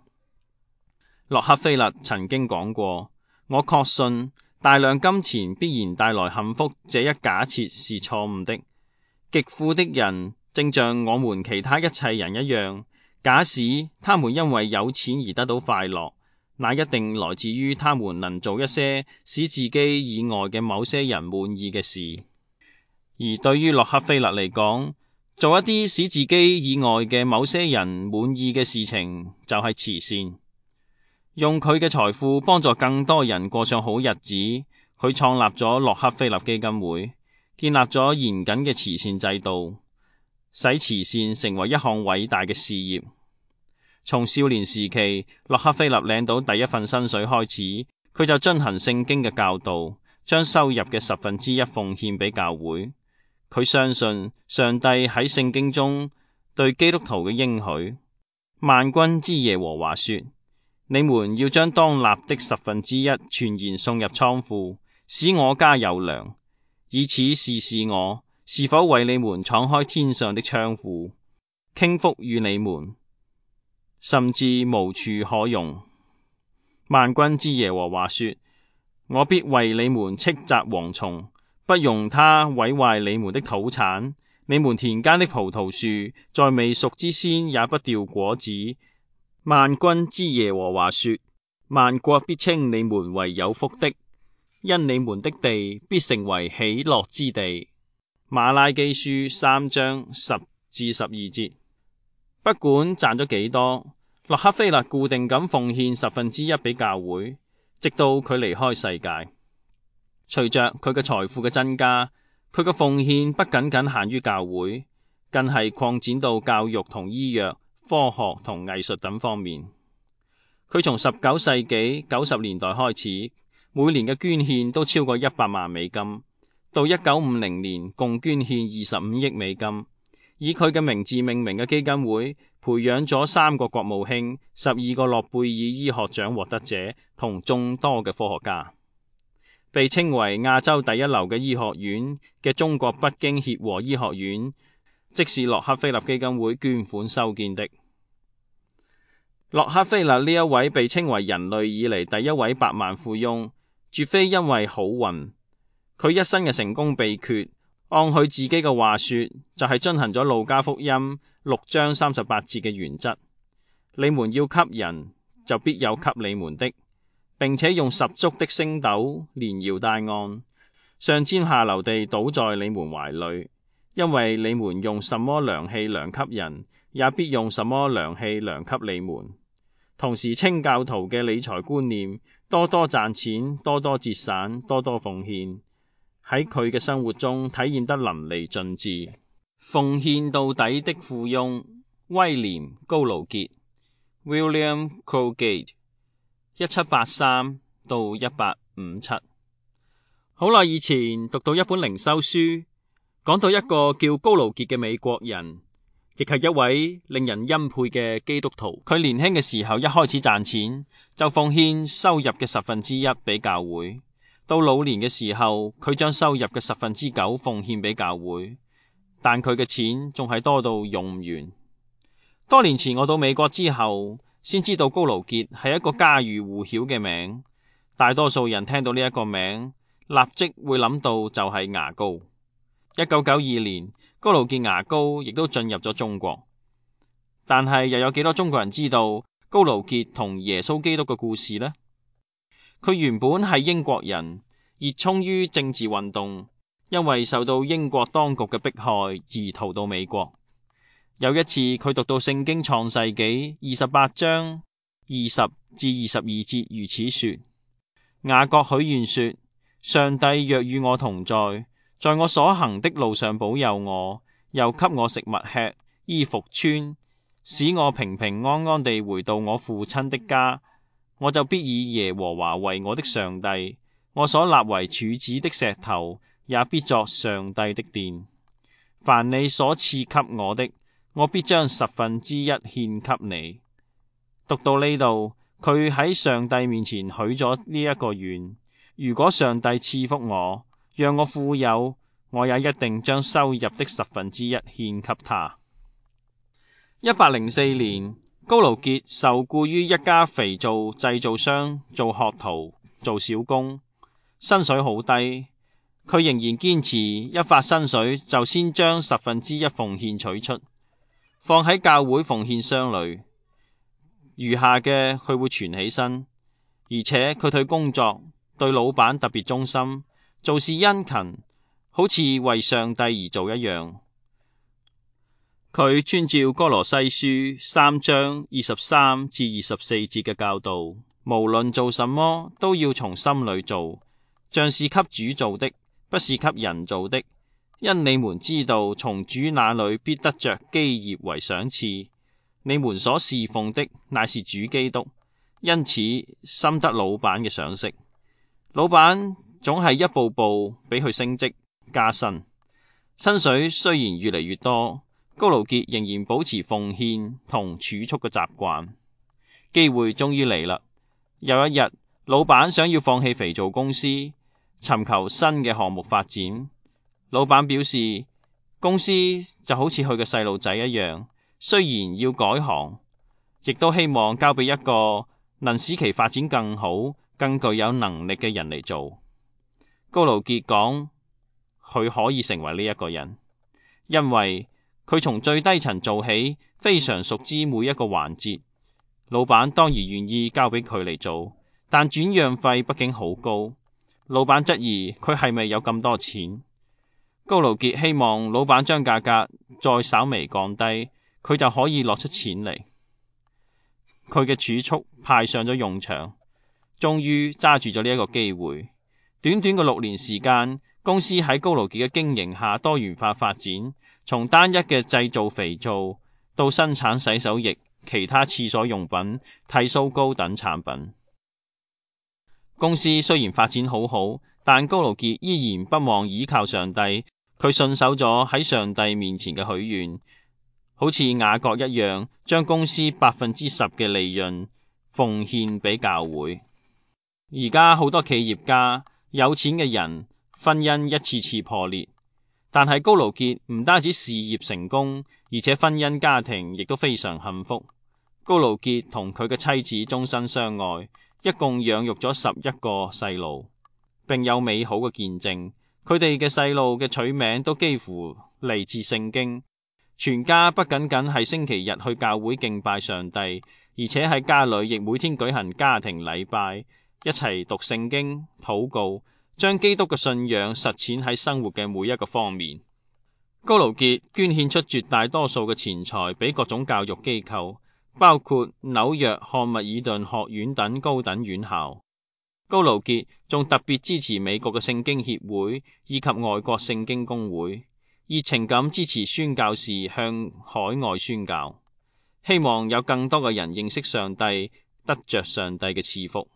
洛克菲勒曾經講過，我確信大量金錢必然帶來幸福這一假設是錯誤的。極富的人正像我們其他一切人一樣，假使他們因為有錢而得到快樂，那一定來自於他們能做一些使自己以外嘅某些人滿意嘅事。而對於洛克菲勒嚟講，做一啲使自己以外嘅某些人滿意嘅事情就係慈善。用佢嘅財富幫助更多人過上好日子，佢創立咗洛克菲勒基金會，建立咗嚴謹嘅慈善制度，使慈善成為一項偉大嘅事業。從少年時期洛克菲勒領到第一份薪水開始，佢就遵行聖經嘅教導，將收入嘅十分之一奉獻俾教會。佢相信上帝喺聖經中對基督徒嘅應許，萬軍之耶和華說：你們要將當納的十分之一全然送入倉庫，使我家有糧，以此試試我是否為你們敞開天上的窗戶，傾福與你們，甚至無處可容。萬軍之耶和華說：我必為你們斥責蝗蟲，不容他毀壞你們的土產，你們田間的葡萄樹在未熟之先也不掉果子。萬軍之耶和華說：萬國必稱你們為有福的，因你們的地必成為喜樂之地。馬拉基書三章十至十二節。不管賺咗幾多，洛克菲勒固定咁奉獻十分之一俾教會，直到佢離開世界。隨着佢嘅財富嘅增加，佢嘅奉獻不僅僅限於教會，更係擴展到教育同醫藥、科學同藝術等方面。佢從十九世紀九十年代開始，每年嘅捐獻都超過一百萬美金，到一九五零年共捐獻二十五億美金。以佢嘅名字命名嘅基金會，培養咗三個國務卿、十二個諾貝爾醫學獎獲得者同眾多嘅科學家。被稱為亞洲第一流嘅醫學院嘅中國北京協和醫學院，即是洛克菲勒基金會捐款修建的。洛克菲勒呢一位被稱為人類以嚟第一位百萬富翁，絕非因為好運。佢一生嘅成功秘訣，按佢自己嘅話說，就係遵行咗路加福音六章三十八節嘅原則：你們要給人，就必有給你們的，並且用十足的升斗連搖帶按，上尖下流地倒在你們懷裏，因為你們用什麼量器量給人，也必用什麼量器量給你們。同時清教徒嘅理財觀念，多多賺錢，多多節省，多多奉獻，喺佢嘅生活中體現得淋漓盡致。奉獻到底的富翁威廉高盧傑 William Colgate 一七八三到一八五七。好耐以前讀到一本靈修書，講到一個叫高盧傑嘅美國人，亦係一位令人欽佩嘅基督徒。佢年輕嘅時候一開始賺錢就奉獻收入嘅十分之一俾教會，到老年嘅時候佢將收入嘅十分之九奉獻俾教會，但佢嘅錢仲係多到用唔完。多年前我到美國之後，先知道高盧傑係一個家喻戶曉嘅名，大多數人聽到呢一個名，立即會諗到就係牙膏。一九九二年，高盧傑牙膏亦都進入咗中國，但係又有幾多中國人知道高盧傑同耶穌基督嘅故事呢？佢原本係英國人，熱衷於政治運動，因為受到英國當局嘅迫害而逃到美國。有一次佢讀到聖經創世紀二十八章二十至二十二節，如此說：雅各許願說，上帝若與我同在，在我所行的路上保佑我，又給我食物吃，衣服穿，使我平平安安地回到我父親的家，我就必以耶和華為我的上帝，我所立為柱子的石頭也必作上帝的殿。凡你所賜給我的，我必將十分之一獻給你。讀到呢度，佢喺上帝面前許咗呢一個願：如果上帝賜福我，讓我富有，我也一定將收入的十分之一獻給他。一八零四年，高盧傑受僱於一家肥皂製造商做學徒、做小工，薪水好低，佢仍然堅持一發薪水就先將十分之一奉獻取出，放喺教會奉獻箱裏，餘下嘅佢會存起身，而且佢對工作、對老闆特別忠心，做事殷勤，好似為上帝而做一樣。佢遵照歌羅西書三章二十三至二十四節嘅教導，無論做什麼都要從心裏做，像是給主做的，不是給人做的，因你們知道從主那裏必得着基業為賞賜。你們所侍奉的乃是主基督，因此深得老闆嘅賞識。老闆總係一步步俾佢升職加薪，薪水雖然越嚟越多，高盧傑仍然保持奉獻同儲蓄嘅習慣。機會終於嚟啦！有一日，老闆想要放棄肥皂公司，尋求新嘅項目發展。老闆表示，公司就好似佢嘅細路仔一樣，雖然要改行，亦都希望交俾一個能使其發展更好、更具有能力嘅人嚟做。高盧傑講，佢可以成為呢一個人，因為佢從最低層做起，非常熟知每一個環節。老闆當然願意交俾佢嚟做，但轉讓費畢竟好高。老闆質疑佢係咪有咁多錢？高盧傑希望老闆將價格再稍微降低，佢就可以攞出錢嚟。佢嘅儲蓄派上咗用場，終於揸住咗呢一個機會。短短嘅六年時間，公司喺高盧傑嘅經營下多元化發展，從單一嘅製造肥皂到生產洗手液、其他廁所用品、剃鬚膏等產品。公司雖然發展好好，但高盧傑依然不忘倚靠上帝。佢信守咗喺上帝面前嘅許願，好似雅各一樣，將公司百分之十嘅利潤奉獻俾教會。而家好多企業家、有錢嘅人，婚姻一次次破裂，但係高盧傑唔單止事業成功，而且婚姻家庭亦都非常幸福。高盧傑同佢嘅妻子終身相愛，一共養育咗十一個細路，並有美好嘅見證。佢哋嘅細路嘅取名都幾乎嚟自聖經，全家不僅僅係星期日去教會敬拜上帝，而且喺家裏亦每天舉行家庭禮拜，一齊讀聖經、禱告，將基督嘅信仰實踐喺生活嘅每一個方面。高盧傑捐獻出絕大多數嘅錢財俾各種教育機構，包括紐約漢密爾頓學院等高等院校。高盧傑仲特別支持美國嘅聖經協會以及外國聖經公會，熱情咁支持宣教士向海外宣教，希望有更多嘅人認識上帝，得着上帝嘅賜福。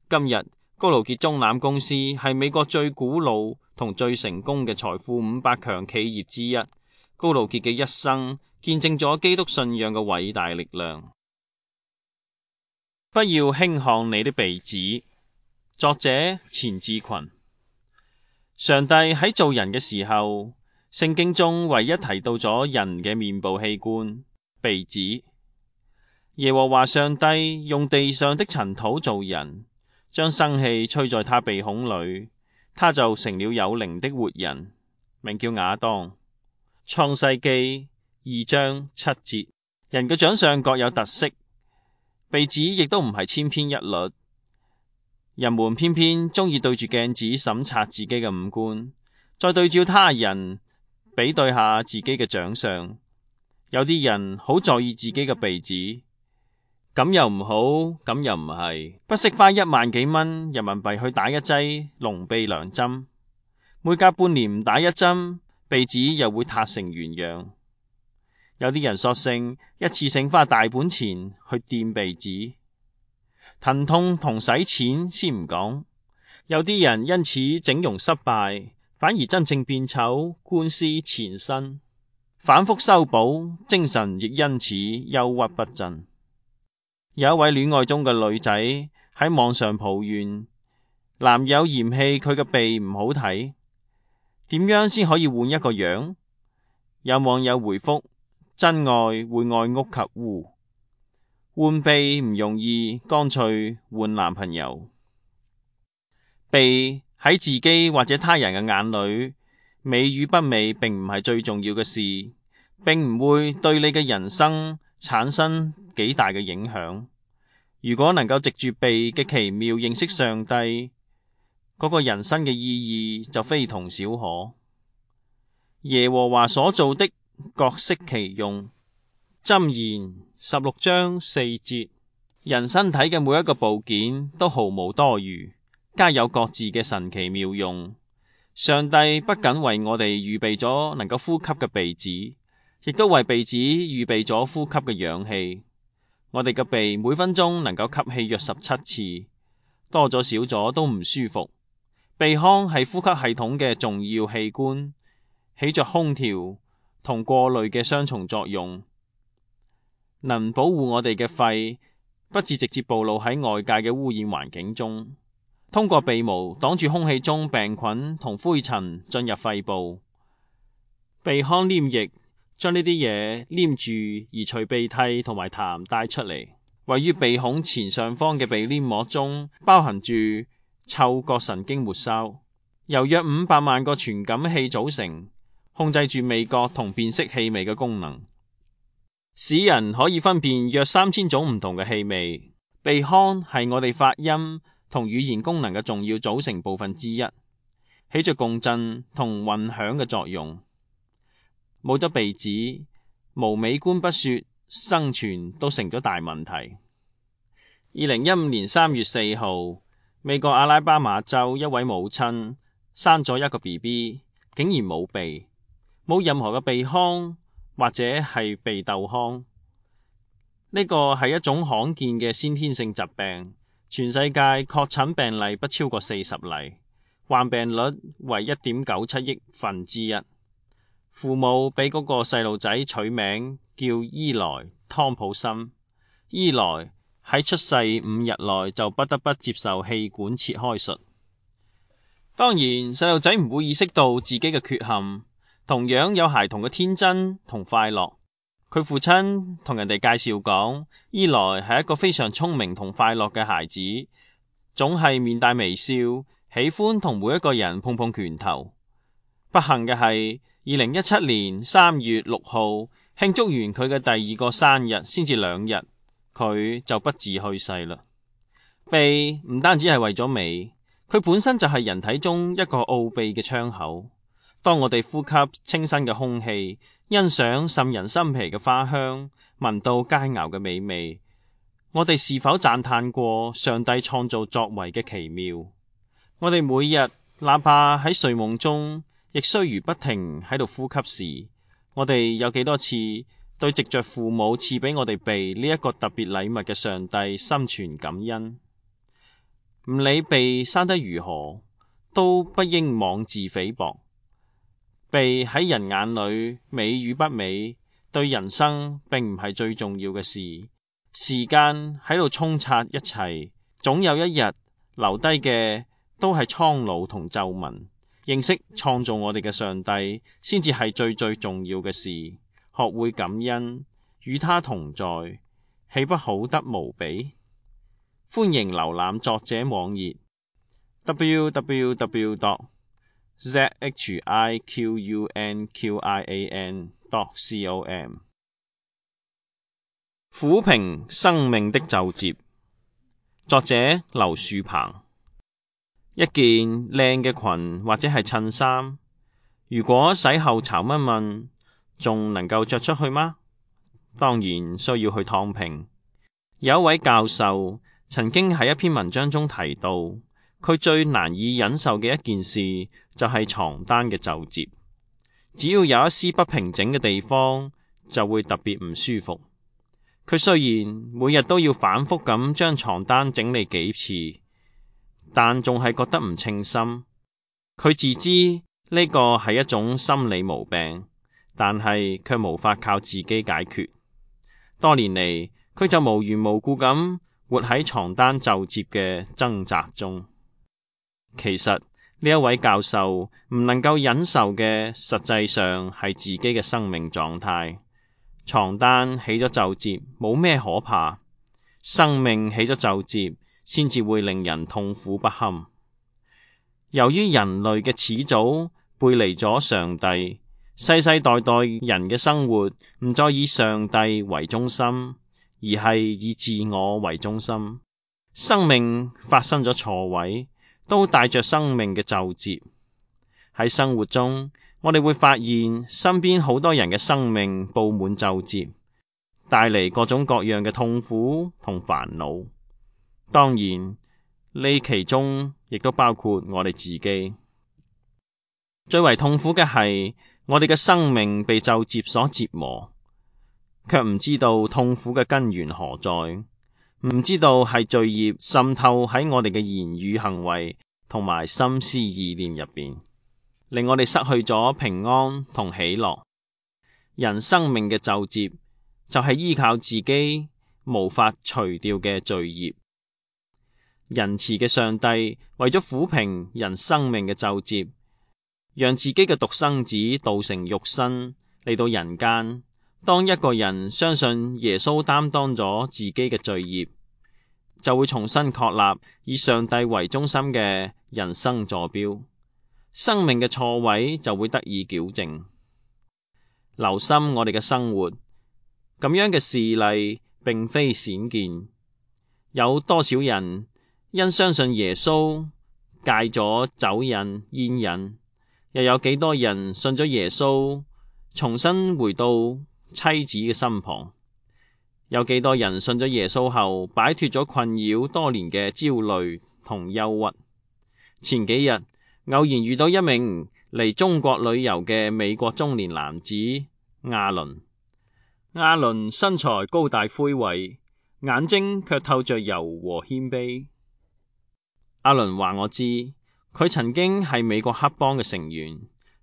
今日高盧傑中攬公司係美國最古老同最成功嘅財富五百強企業之一。高盧傑嘅一生見證咗基督信仰嘅偉大力量。不要輕看你的鼻子。作者錢志群。上帝喺做人嘅時候，聖經中唯一提到咗人嘅面部器官鼻子。耶和華上帝用地上的塵土做人，將生氣吹在他鼻孔裏，他就成了有靈的活人，名叫亞當。創世記二章七節。人嘅長相各有特色，鼻子亦都唔係千篇一律。人們偏偏中意對住鏡子審查自己嘅五官，再對照他人比對下自己嘅長相。有啲人好在意自己嘅鼻子，咁又唔好，咁又唔係，不惜花一萬幾蚊人民幣去打一劑隆鼻良針，每隔半年唔打一針，鼻子又會塌成原樣。有啲人索性一次性花大本錢去掂鼻子，疼痛同使錢先唔講。有啲人因此整容失敗，反而真正變醜，官司纏身，反覆修補，精神亦因此憂鬱不振。有一位戀愛中嘅女仔喺網上抱怨，男友嫌棄佢嘅鼻唔好睇，點樣先可以換一個樣？有網友回覆：真愛會愛屋及烏，換婢唔容易，乾脆換男朋友。婢喺自己或者他人嘅眼裏，美與不美並唔係最重要嘅事，並唔會對你嘅人生產生幾大嘅影響。如果能夠藉住婢嘅奇妙認識上帝，嗰、那個人生嘅意義就非同小可。耶和華所造的各適其用。箴言十六章四節。人身體嘅每一個部件都毫無多餘，皆有各自嘅神奇妙用。上帝不僅為我哋預備咗能夠呼吸嘅鼻子，亦都為鼻子預備咗呼吸嘅氧氣。我哋嘅鼻每分鐘能夠吸氣約十七次，多咗少咗都唔舒服。鼻腔係呼吸系統嘅重要器官，起着空調同過濾嘅雙重作用，能保護我哋嘅肺不致直接暴露喺外界嘅污染環境中。通過鼻毛擋住空氣中病菌同灰塵進入肺部，鼻腔黏液將呢啲嘢黏住，而隨鼻涕同埋痰帶出嚟。位於鼻孔前上方嘅鼻黏膜中包含住嗅覺神經末梢，由約五百萬個傳感器組成，控制住味覺同辨識氣味嘅功能，使人可以分辨約三千種唔同嘅氣味。鼻腔係我哋發音同語言功能嘅重要組成部分之一，起着共振同混響嘅作用。冇咗鼻子，無美觀不說，生存都成咗大問題。二零一五年三月四號，美國阿拉巴馬州一位母親生咗一個 B B， 竟然冇鼻，冇任何嘅鼻腔或者係鼻竇腔。呢個係一種罕見嘅先天性疾病，全世界確診病例不超過四十例，患病率為一點九七億分之一。父母俾嗰個細路仔取名叫伊萊湯普森。伊萊喺出世五日內就不得不接受氣管切開術。當然，細路仔唔會意識到自己嘅缺陷，同樣有孩童嘅天真同快樂。佢父親同人哋介紹講，伊萊係一個非常聰明同快樂嘅孩子，總係面帶微笑，喜歡同每一個人碰碰拳頭。不幸嘅係，二零一七年三月六號慶祝完佢嘅第二個生日，先至兩日，佢就不治去世啦。鼻唔單止係為咗美，佢本身就係人體中一個奧秘嘅窗口。當我哋呼吸清新嘅空氣，欣賞滲人心脾嘅花香，聞到佳肴嘅美味，我哋是否讚嘆過上帝創造作為嘅奇妙？我哋每日哪怕喺睡夢中，亦須如不停喺度呼吸時，我哋有幾多次對藉着父母賜俾我哋鼻呢一個特別禮物嘅上帝心存感恩？唔理鼻生得如何，都不應妄自菲薄。鼻喺人眼裏美與不美，對人生並唔係最重要嘅事。時間喺度沖刷一切，總有一日留低嘅都係蒼老同皺紋。認識創造我哋嘅上帝，先至係最最重要嘅事。學會感恩，與他同在，豈不好得無比？歡迎瀏覽作者網頁 double-u double-u double-u dot z h i q u n q i a n dot com。 撫平生命的皺褶，作者劉樹鵬。一件靚嘅裙或者係襯衫，如果洗後潮蚊蚊，仲能夠着出去嗎？當然需要去燙平。有一位教授曾經喺一篇文章中提到，佢最難以忍受嘅一件事就係床單嘅皺褶，只要有一絲不平整嘅地方，就會特別唔舒服。佢雖然每日都要反覆咁將床單整理幾次，但仲係覺得唔稱心。佢自知呢個係一種心理毛病，但係卻無法靠自己解決。多年嚟，佢就無緣無故咁活喺床單皺褶嘅掙扎中。其實呢一位教授唔能夠忍受嘅，實際上係自己嘅生命狀態。床單起咗皺褶冇咩可怕，生命起咗皺折，先至會令人痛苦不堪。由於人類嘅始祖背離咗上帝，世世代代人嘅生活唔再以上帝為中心，而係以自我為中心。生命發生咗錯位，都帶着生命嘅皺折。喺生活中，我哋會發現身邊好多人嘅生命布滿皺折，帶嚟各種各樣嘅痛苦同煩惱。當然，呢其中亦都包括我哋自己。最為痛苦嘅係，我哋嘅生命被皺折所折磨，卻唔知道痛苦嘅根源何在，唔知道係罪孽滲透喺我哋嘅言語行為同埋心思意念入邊，令我哋失去咗平安同喜樂。人生命嘅皺折就係依靠自己無法除掉嘅罪孽。仁慈嘅上帝為咗撫平人生命嘅皺折，讓自己嘅獨生子道成肉身嚟到人間。當一個人相信耶穌擔當咗自己嘅罪孽，就會重新確立以上帝為中心嘅人生坐標，生命嘅錯位就會得以矯正。留心我哋嘅生活，咁樣嘅事例並非鮮見。有多少人因相信耶穌戒咗酒癮煙癮，又有幾多人信咗耶穌重新回到妻子嘅身旁？有幾多人信咗耶穌後擺脫咗困擾多年嘅焦慮同憂鬱？前幾日偶然遇到一名嚟中國旅遊嘅美國中年男子阿倫。阿倫身材高大魁偉，眼睛卻透着柔和謙卑。阿倫話我知，佢曾經係美國黑幫嘅成員，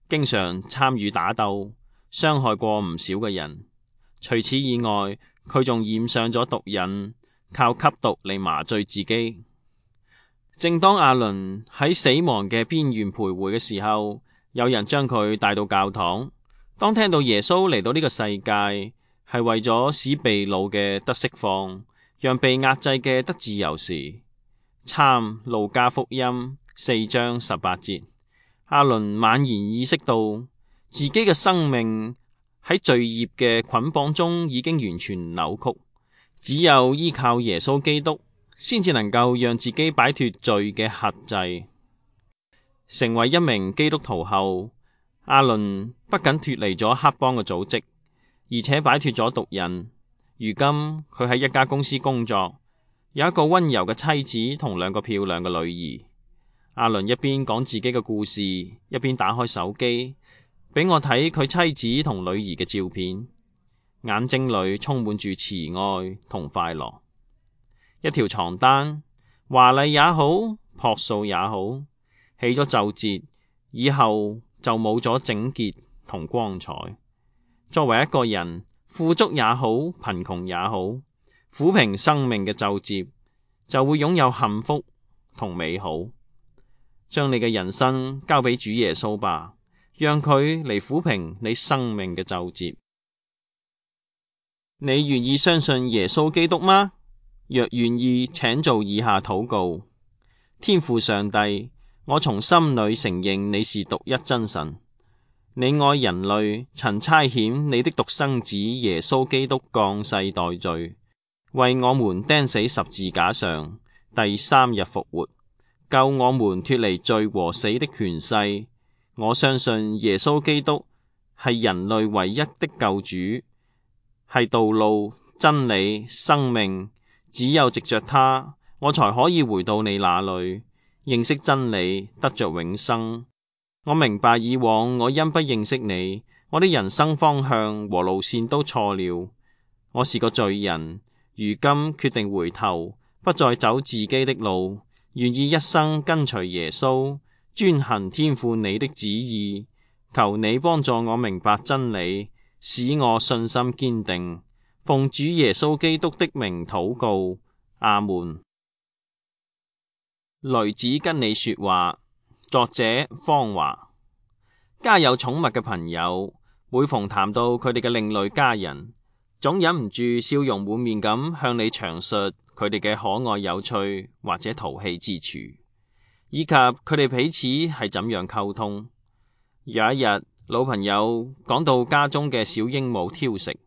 經常參與打鬥，傷害過唔少嘅人。除此以外，佢仲染上咗毒癮，靠吸毒嚟麻醉自己。正當阿倫喺死亡嘅邊緣徘徊嘅時候，有人將佢帶到教堂。當聽到耶穌嚟到呢個世界，係為咗使被擄嘅得釋放，讓被壓制嘅得自由時，參路加福音四章十八節，阿倫猛然意識到自己嘅生命喺罪孽嘅捆綁中已經完全扭曲，只有依靠耶穌基督，先至能夠讓自己擺脫罪嘅轄制。成為一名基督徒後，阿倫不僅脫離咗黑幫嘅組織，而且擺脫咗毒癮。如今佢喺一家公司工作，有一個溫柔嘅妻子同兩個漂亮嘅女兒。阿倫一邊講自己嘅故事，一邊打開手機俾我睇佢妻子同女兒嘅照片，眼睛裏充滿住慈愛同快樂。一條床單，華麗也好，樸素也好，起咗皺折以後就冇咗整潔同光彩。作為一個人，富足也好，貧窮也好，撫平生命嘅皺折，就會擁有幸福同美好。將你嘅人生交俾主耶穌吧，讓佢嚟撫平你生命嘅皺折。你願意相信耶穌基督嗎？若願意，請做以下禱告：天父上帝，我從心裏承認你是獨一真神，你愛人類，曾差遣你的獨生子耶穌基督降世代罪，為我們釘死十字架上，第三日復活，救我們脫離罪和死的權勢。我相信耶穌基督係人類唯一的救主，係道路、真理、生命。只有藉着他，我才可以回到你那裏，認識真理，得着永生。我明白以往我因不認識你，我的人生方向和路線都錯了。我是個罪人，如今決定回頭，不再走自己的路，願意一生跟隨耶穌，遵行天父你的旨意。求你幫助我明白真理，使我信心堅定。奉主耶穌基督的名禱告，阿門。雷子跟你說話，作者方華。家有寵物嘅朋友，每逢談到佢哋嘅另類家人，總忍唔住笑容滿面咁向你詳述佢哋嘅可愛有趣或者淘氣之處，以及佢哋彼此係怎樣溝通。有一日，老朋友講到家中嘅小鸚鵡挑食，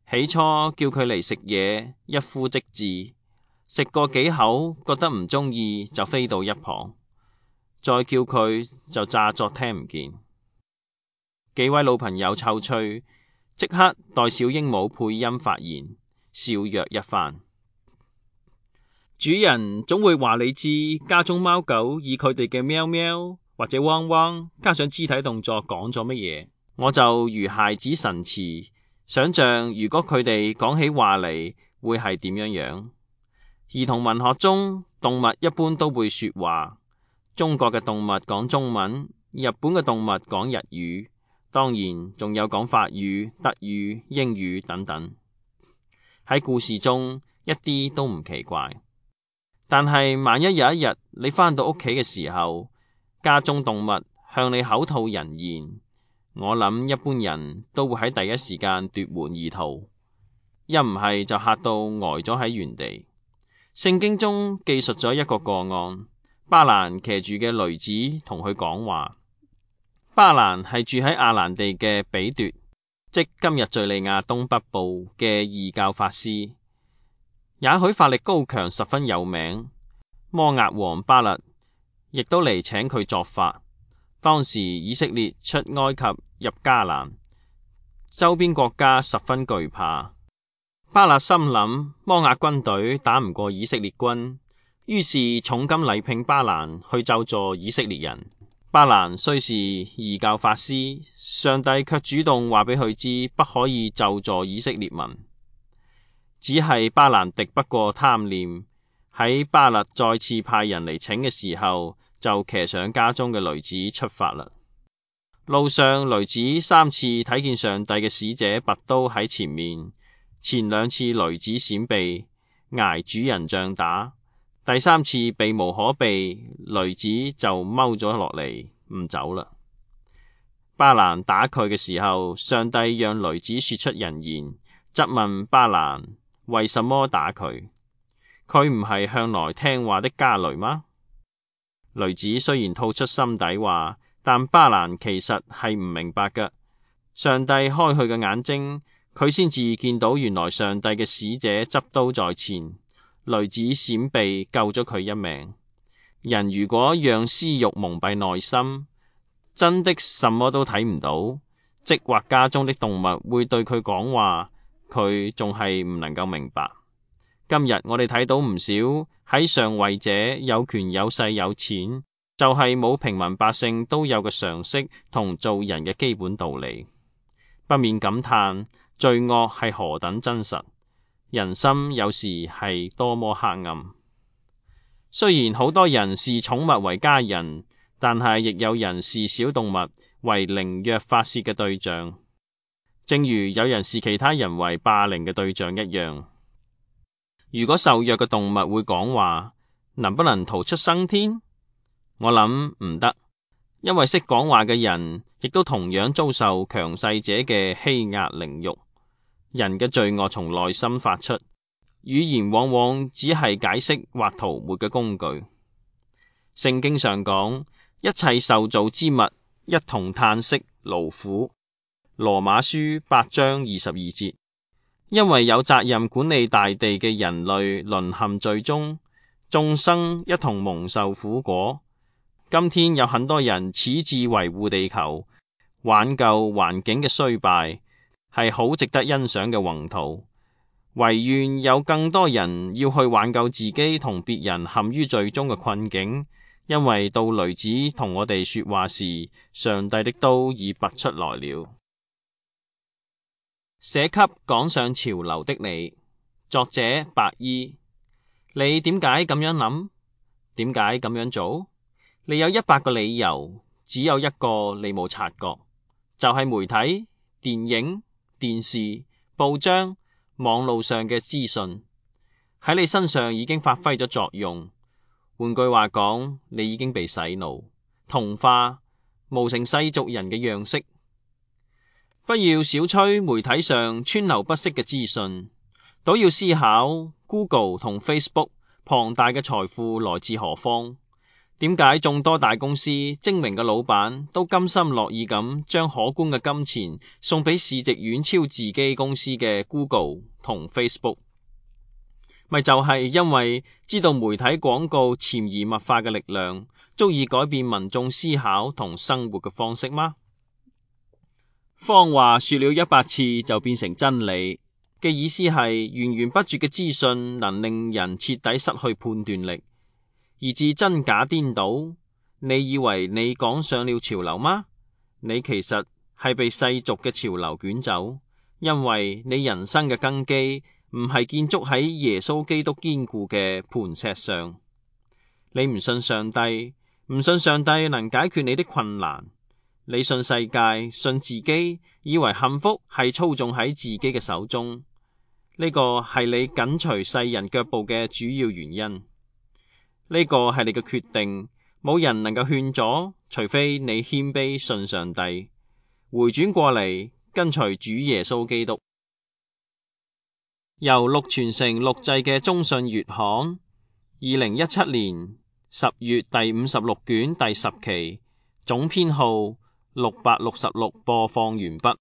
起初叫佢嚟食嘢，一呼即至，食過幾口覺得唔中意就飛到一旁，再叫佢就詐作聽唔見。幾位老朋友湊趣，即刻代小鸚鵡配音發言，笑謔一番。主人總會話你知，家中貓狗以佢哋嘅喵喵或者汪汪，加上肢體動作講咗乜嘢，我就如孩子神詞，想象如果佢哋講起話嚟會係點樣樣。兒童文學中，動物一般都會說話，中國嘅動物講中文，日本嘅動物講日語，當然仲有講法語、德語、英語等等。喺故事中一啲都唔奇怪。但係萬一有一日你返到屋企嘅時候，家中動物向你口吐人言，我諗一般人都會喺第一時間奪門而逃，一唔係就嚇到呆咗喺原地。聖經中記述咗一個個案，巴蘭騎住嘅驢子同佢講話。巴蘭係住喺亞蘭地嘅比奪，即今日敘利亞東北部嘅異教法師。也許法力高強，十分有名。摩押王巴勒亦都嚟請佢作法。當時以色列出埃及入迦南，周邊國家十分懼怕。巴勒心諗摩押軍隊打唔過以色列軍，於是重金禮聘巴蘭去咒詛以色列人。巴蘭雖是異教法師，上帝卻主動話俾佢知不可以咒詛以色列民。只係巴蘭敵不過貪念，喺巴勒再次派人嚟請嘅時候，就騎上家中嘅驢子出發啦。路上，驢子三次睇見上帝嘅使者拔刀喺前面，前兩次驢子閃避，挨主人杖打；第三次避無可避，驢子就踎咗落嚟唔走啦。巴蘭打佢嘅時候，上帝讓驢子說出人言，質問巴蘭為什麼打佢？佢唔係向來聽話的家驢嗎？驢子雖然吐出心底話，但巴蘭其實係唔明白㗎。上帝開佢嘅眼睛，佢先至見到原來上帝嘅使者執刀在前，驢子閃避救咗佢一命。人如果讓私欲蒙蔽內心，真的什麼都睇唔到，即或家中的動物會對佢講話，佢仲係唔能夠明白。今日我哋睇到唔少喺上位者有權有勢有錢，就係冇平民百姓都有嘅常識同做人嘅基本道理，不免感嘆罪惡係何等真實，人心有時係多麼黑暗。雖然好多人視寵物為家人，但係亦有人視小動物為凌虐發洩嘅對象，正如有人視其他人為霸凌嘅對象一樣。如果受虐嘅動物會講話，能不能逃出生天？我諗唔得，因為識講話嘅人亦都同樣遭受強勢者嘅欺壓凌辱。人嘅罪惡從內心發出，語言往往只係解釋或塗抹嘅工具。聖經上講，一切受造之物一同嘆息勞苦。羅馬書八章二十二節。因為有責任管理大地嘅人類淪陷罪中，眾生一同蒙受苦果。今天有很多人矢志維護地球、挽救環境嘅衰敗，係好值得欣賞嘅宏圖。唯願有更多人要去挽救自己同別人陷於罪中嘅困境，因為到驢子同我哋說話時，上帝的刀已拔出來了。寫給趕上潮流的你，作者白衣。你點解咁樣諗？點解咁樣做？你有一百個理由，只有一個你冇察覺，就係媒體、電影、電視、報章、網路上嘅資訊喺你身上已經發揮咗作用。換句話講，你已經被洗腦、同化，模成世俗人嘅樣式。不要小吹媒體上川流不息嘅資訊，倒要思考 Google 同 Facebook 龐大嘅財富來自何方？點解眾多大公司精明嘅老闆都甘心樂意咁將可觀嘅金錢送俾市值遠超自己公司嘅 Google 同 Facebook？ 咪就係因為知道媒體廣告潛移默化嘅力量，足以改變民眾思考同生活嘅方式嗎？謊話說了一百次就變成真理嘅意思係，源源不絕嘅資訊能令人徹底失去判斷力，以致真假顛倒。你以為你趕上了潮流嗎？你其實係被世俗嘅潮流捲走，因為你人生嘅根基唔係建築喺耶穌基督堅固嘅磐石上。你唔信上帝，唔信上帝能解決你的困難。你信世界，信自己，以為幸福係操縱喺自己嘅手中。呢個係你緊隨世人腳步嘅主要原因。呢個係你嘅決定，冇人能夠勸阻，除非你謙卑信上帝，回轉過嚟跟隨主耶穌基督。由錄傳承錄製嘅中信月刊，二零一七年十月第五十六卷第十期，總編號六百六十六，播放完畢。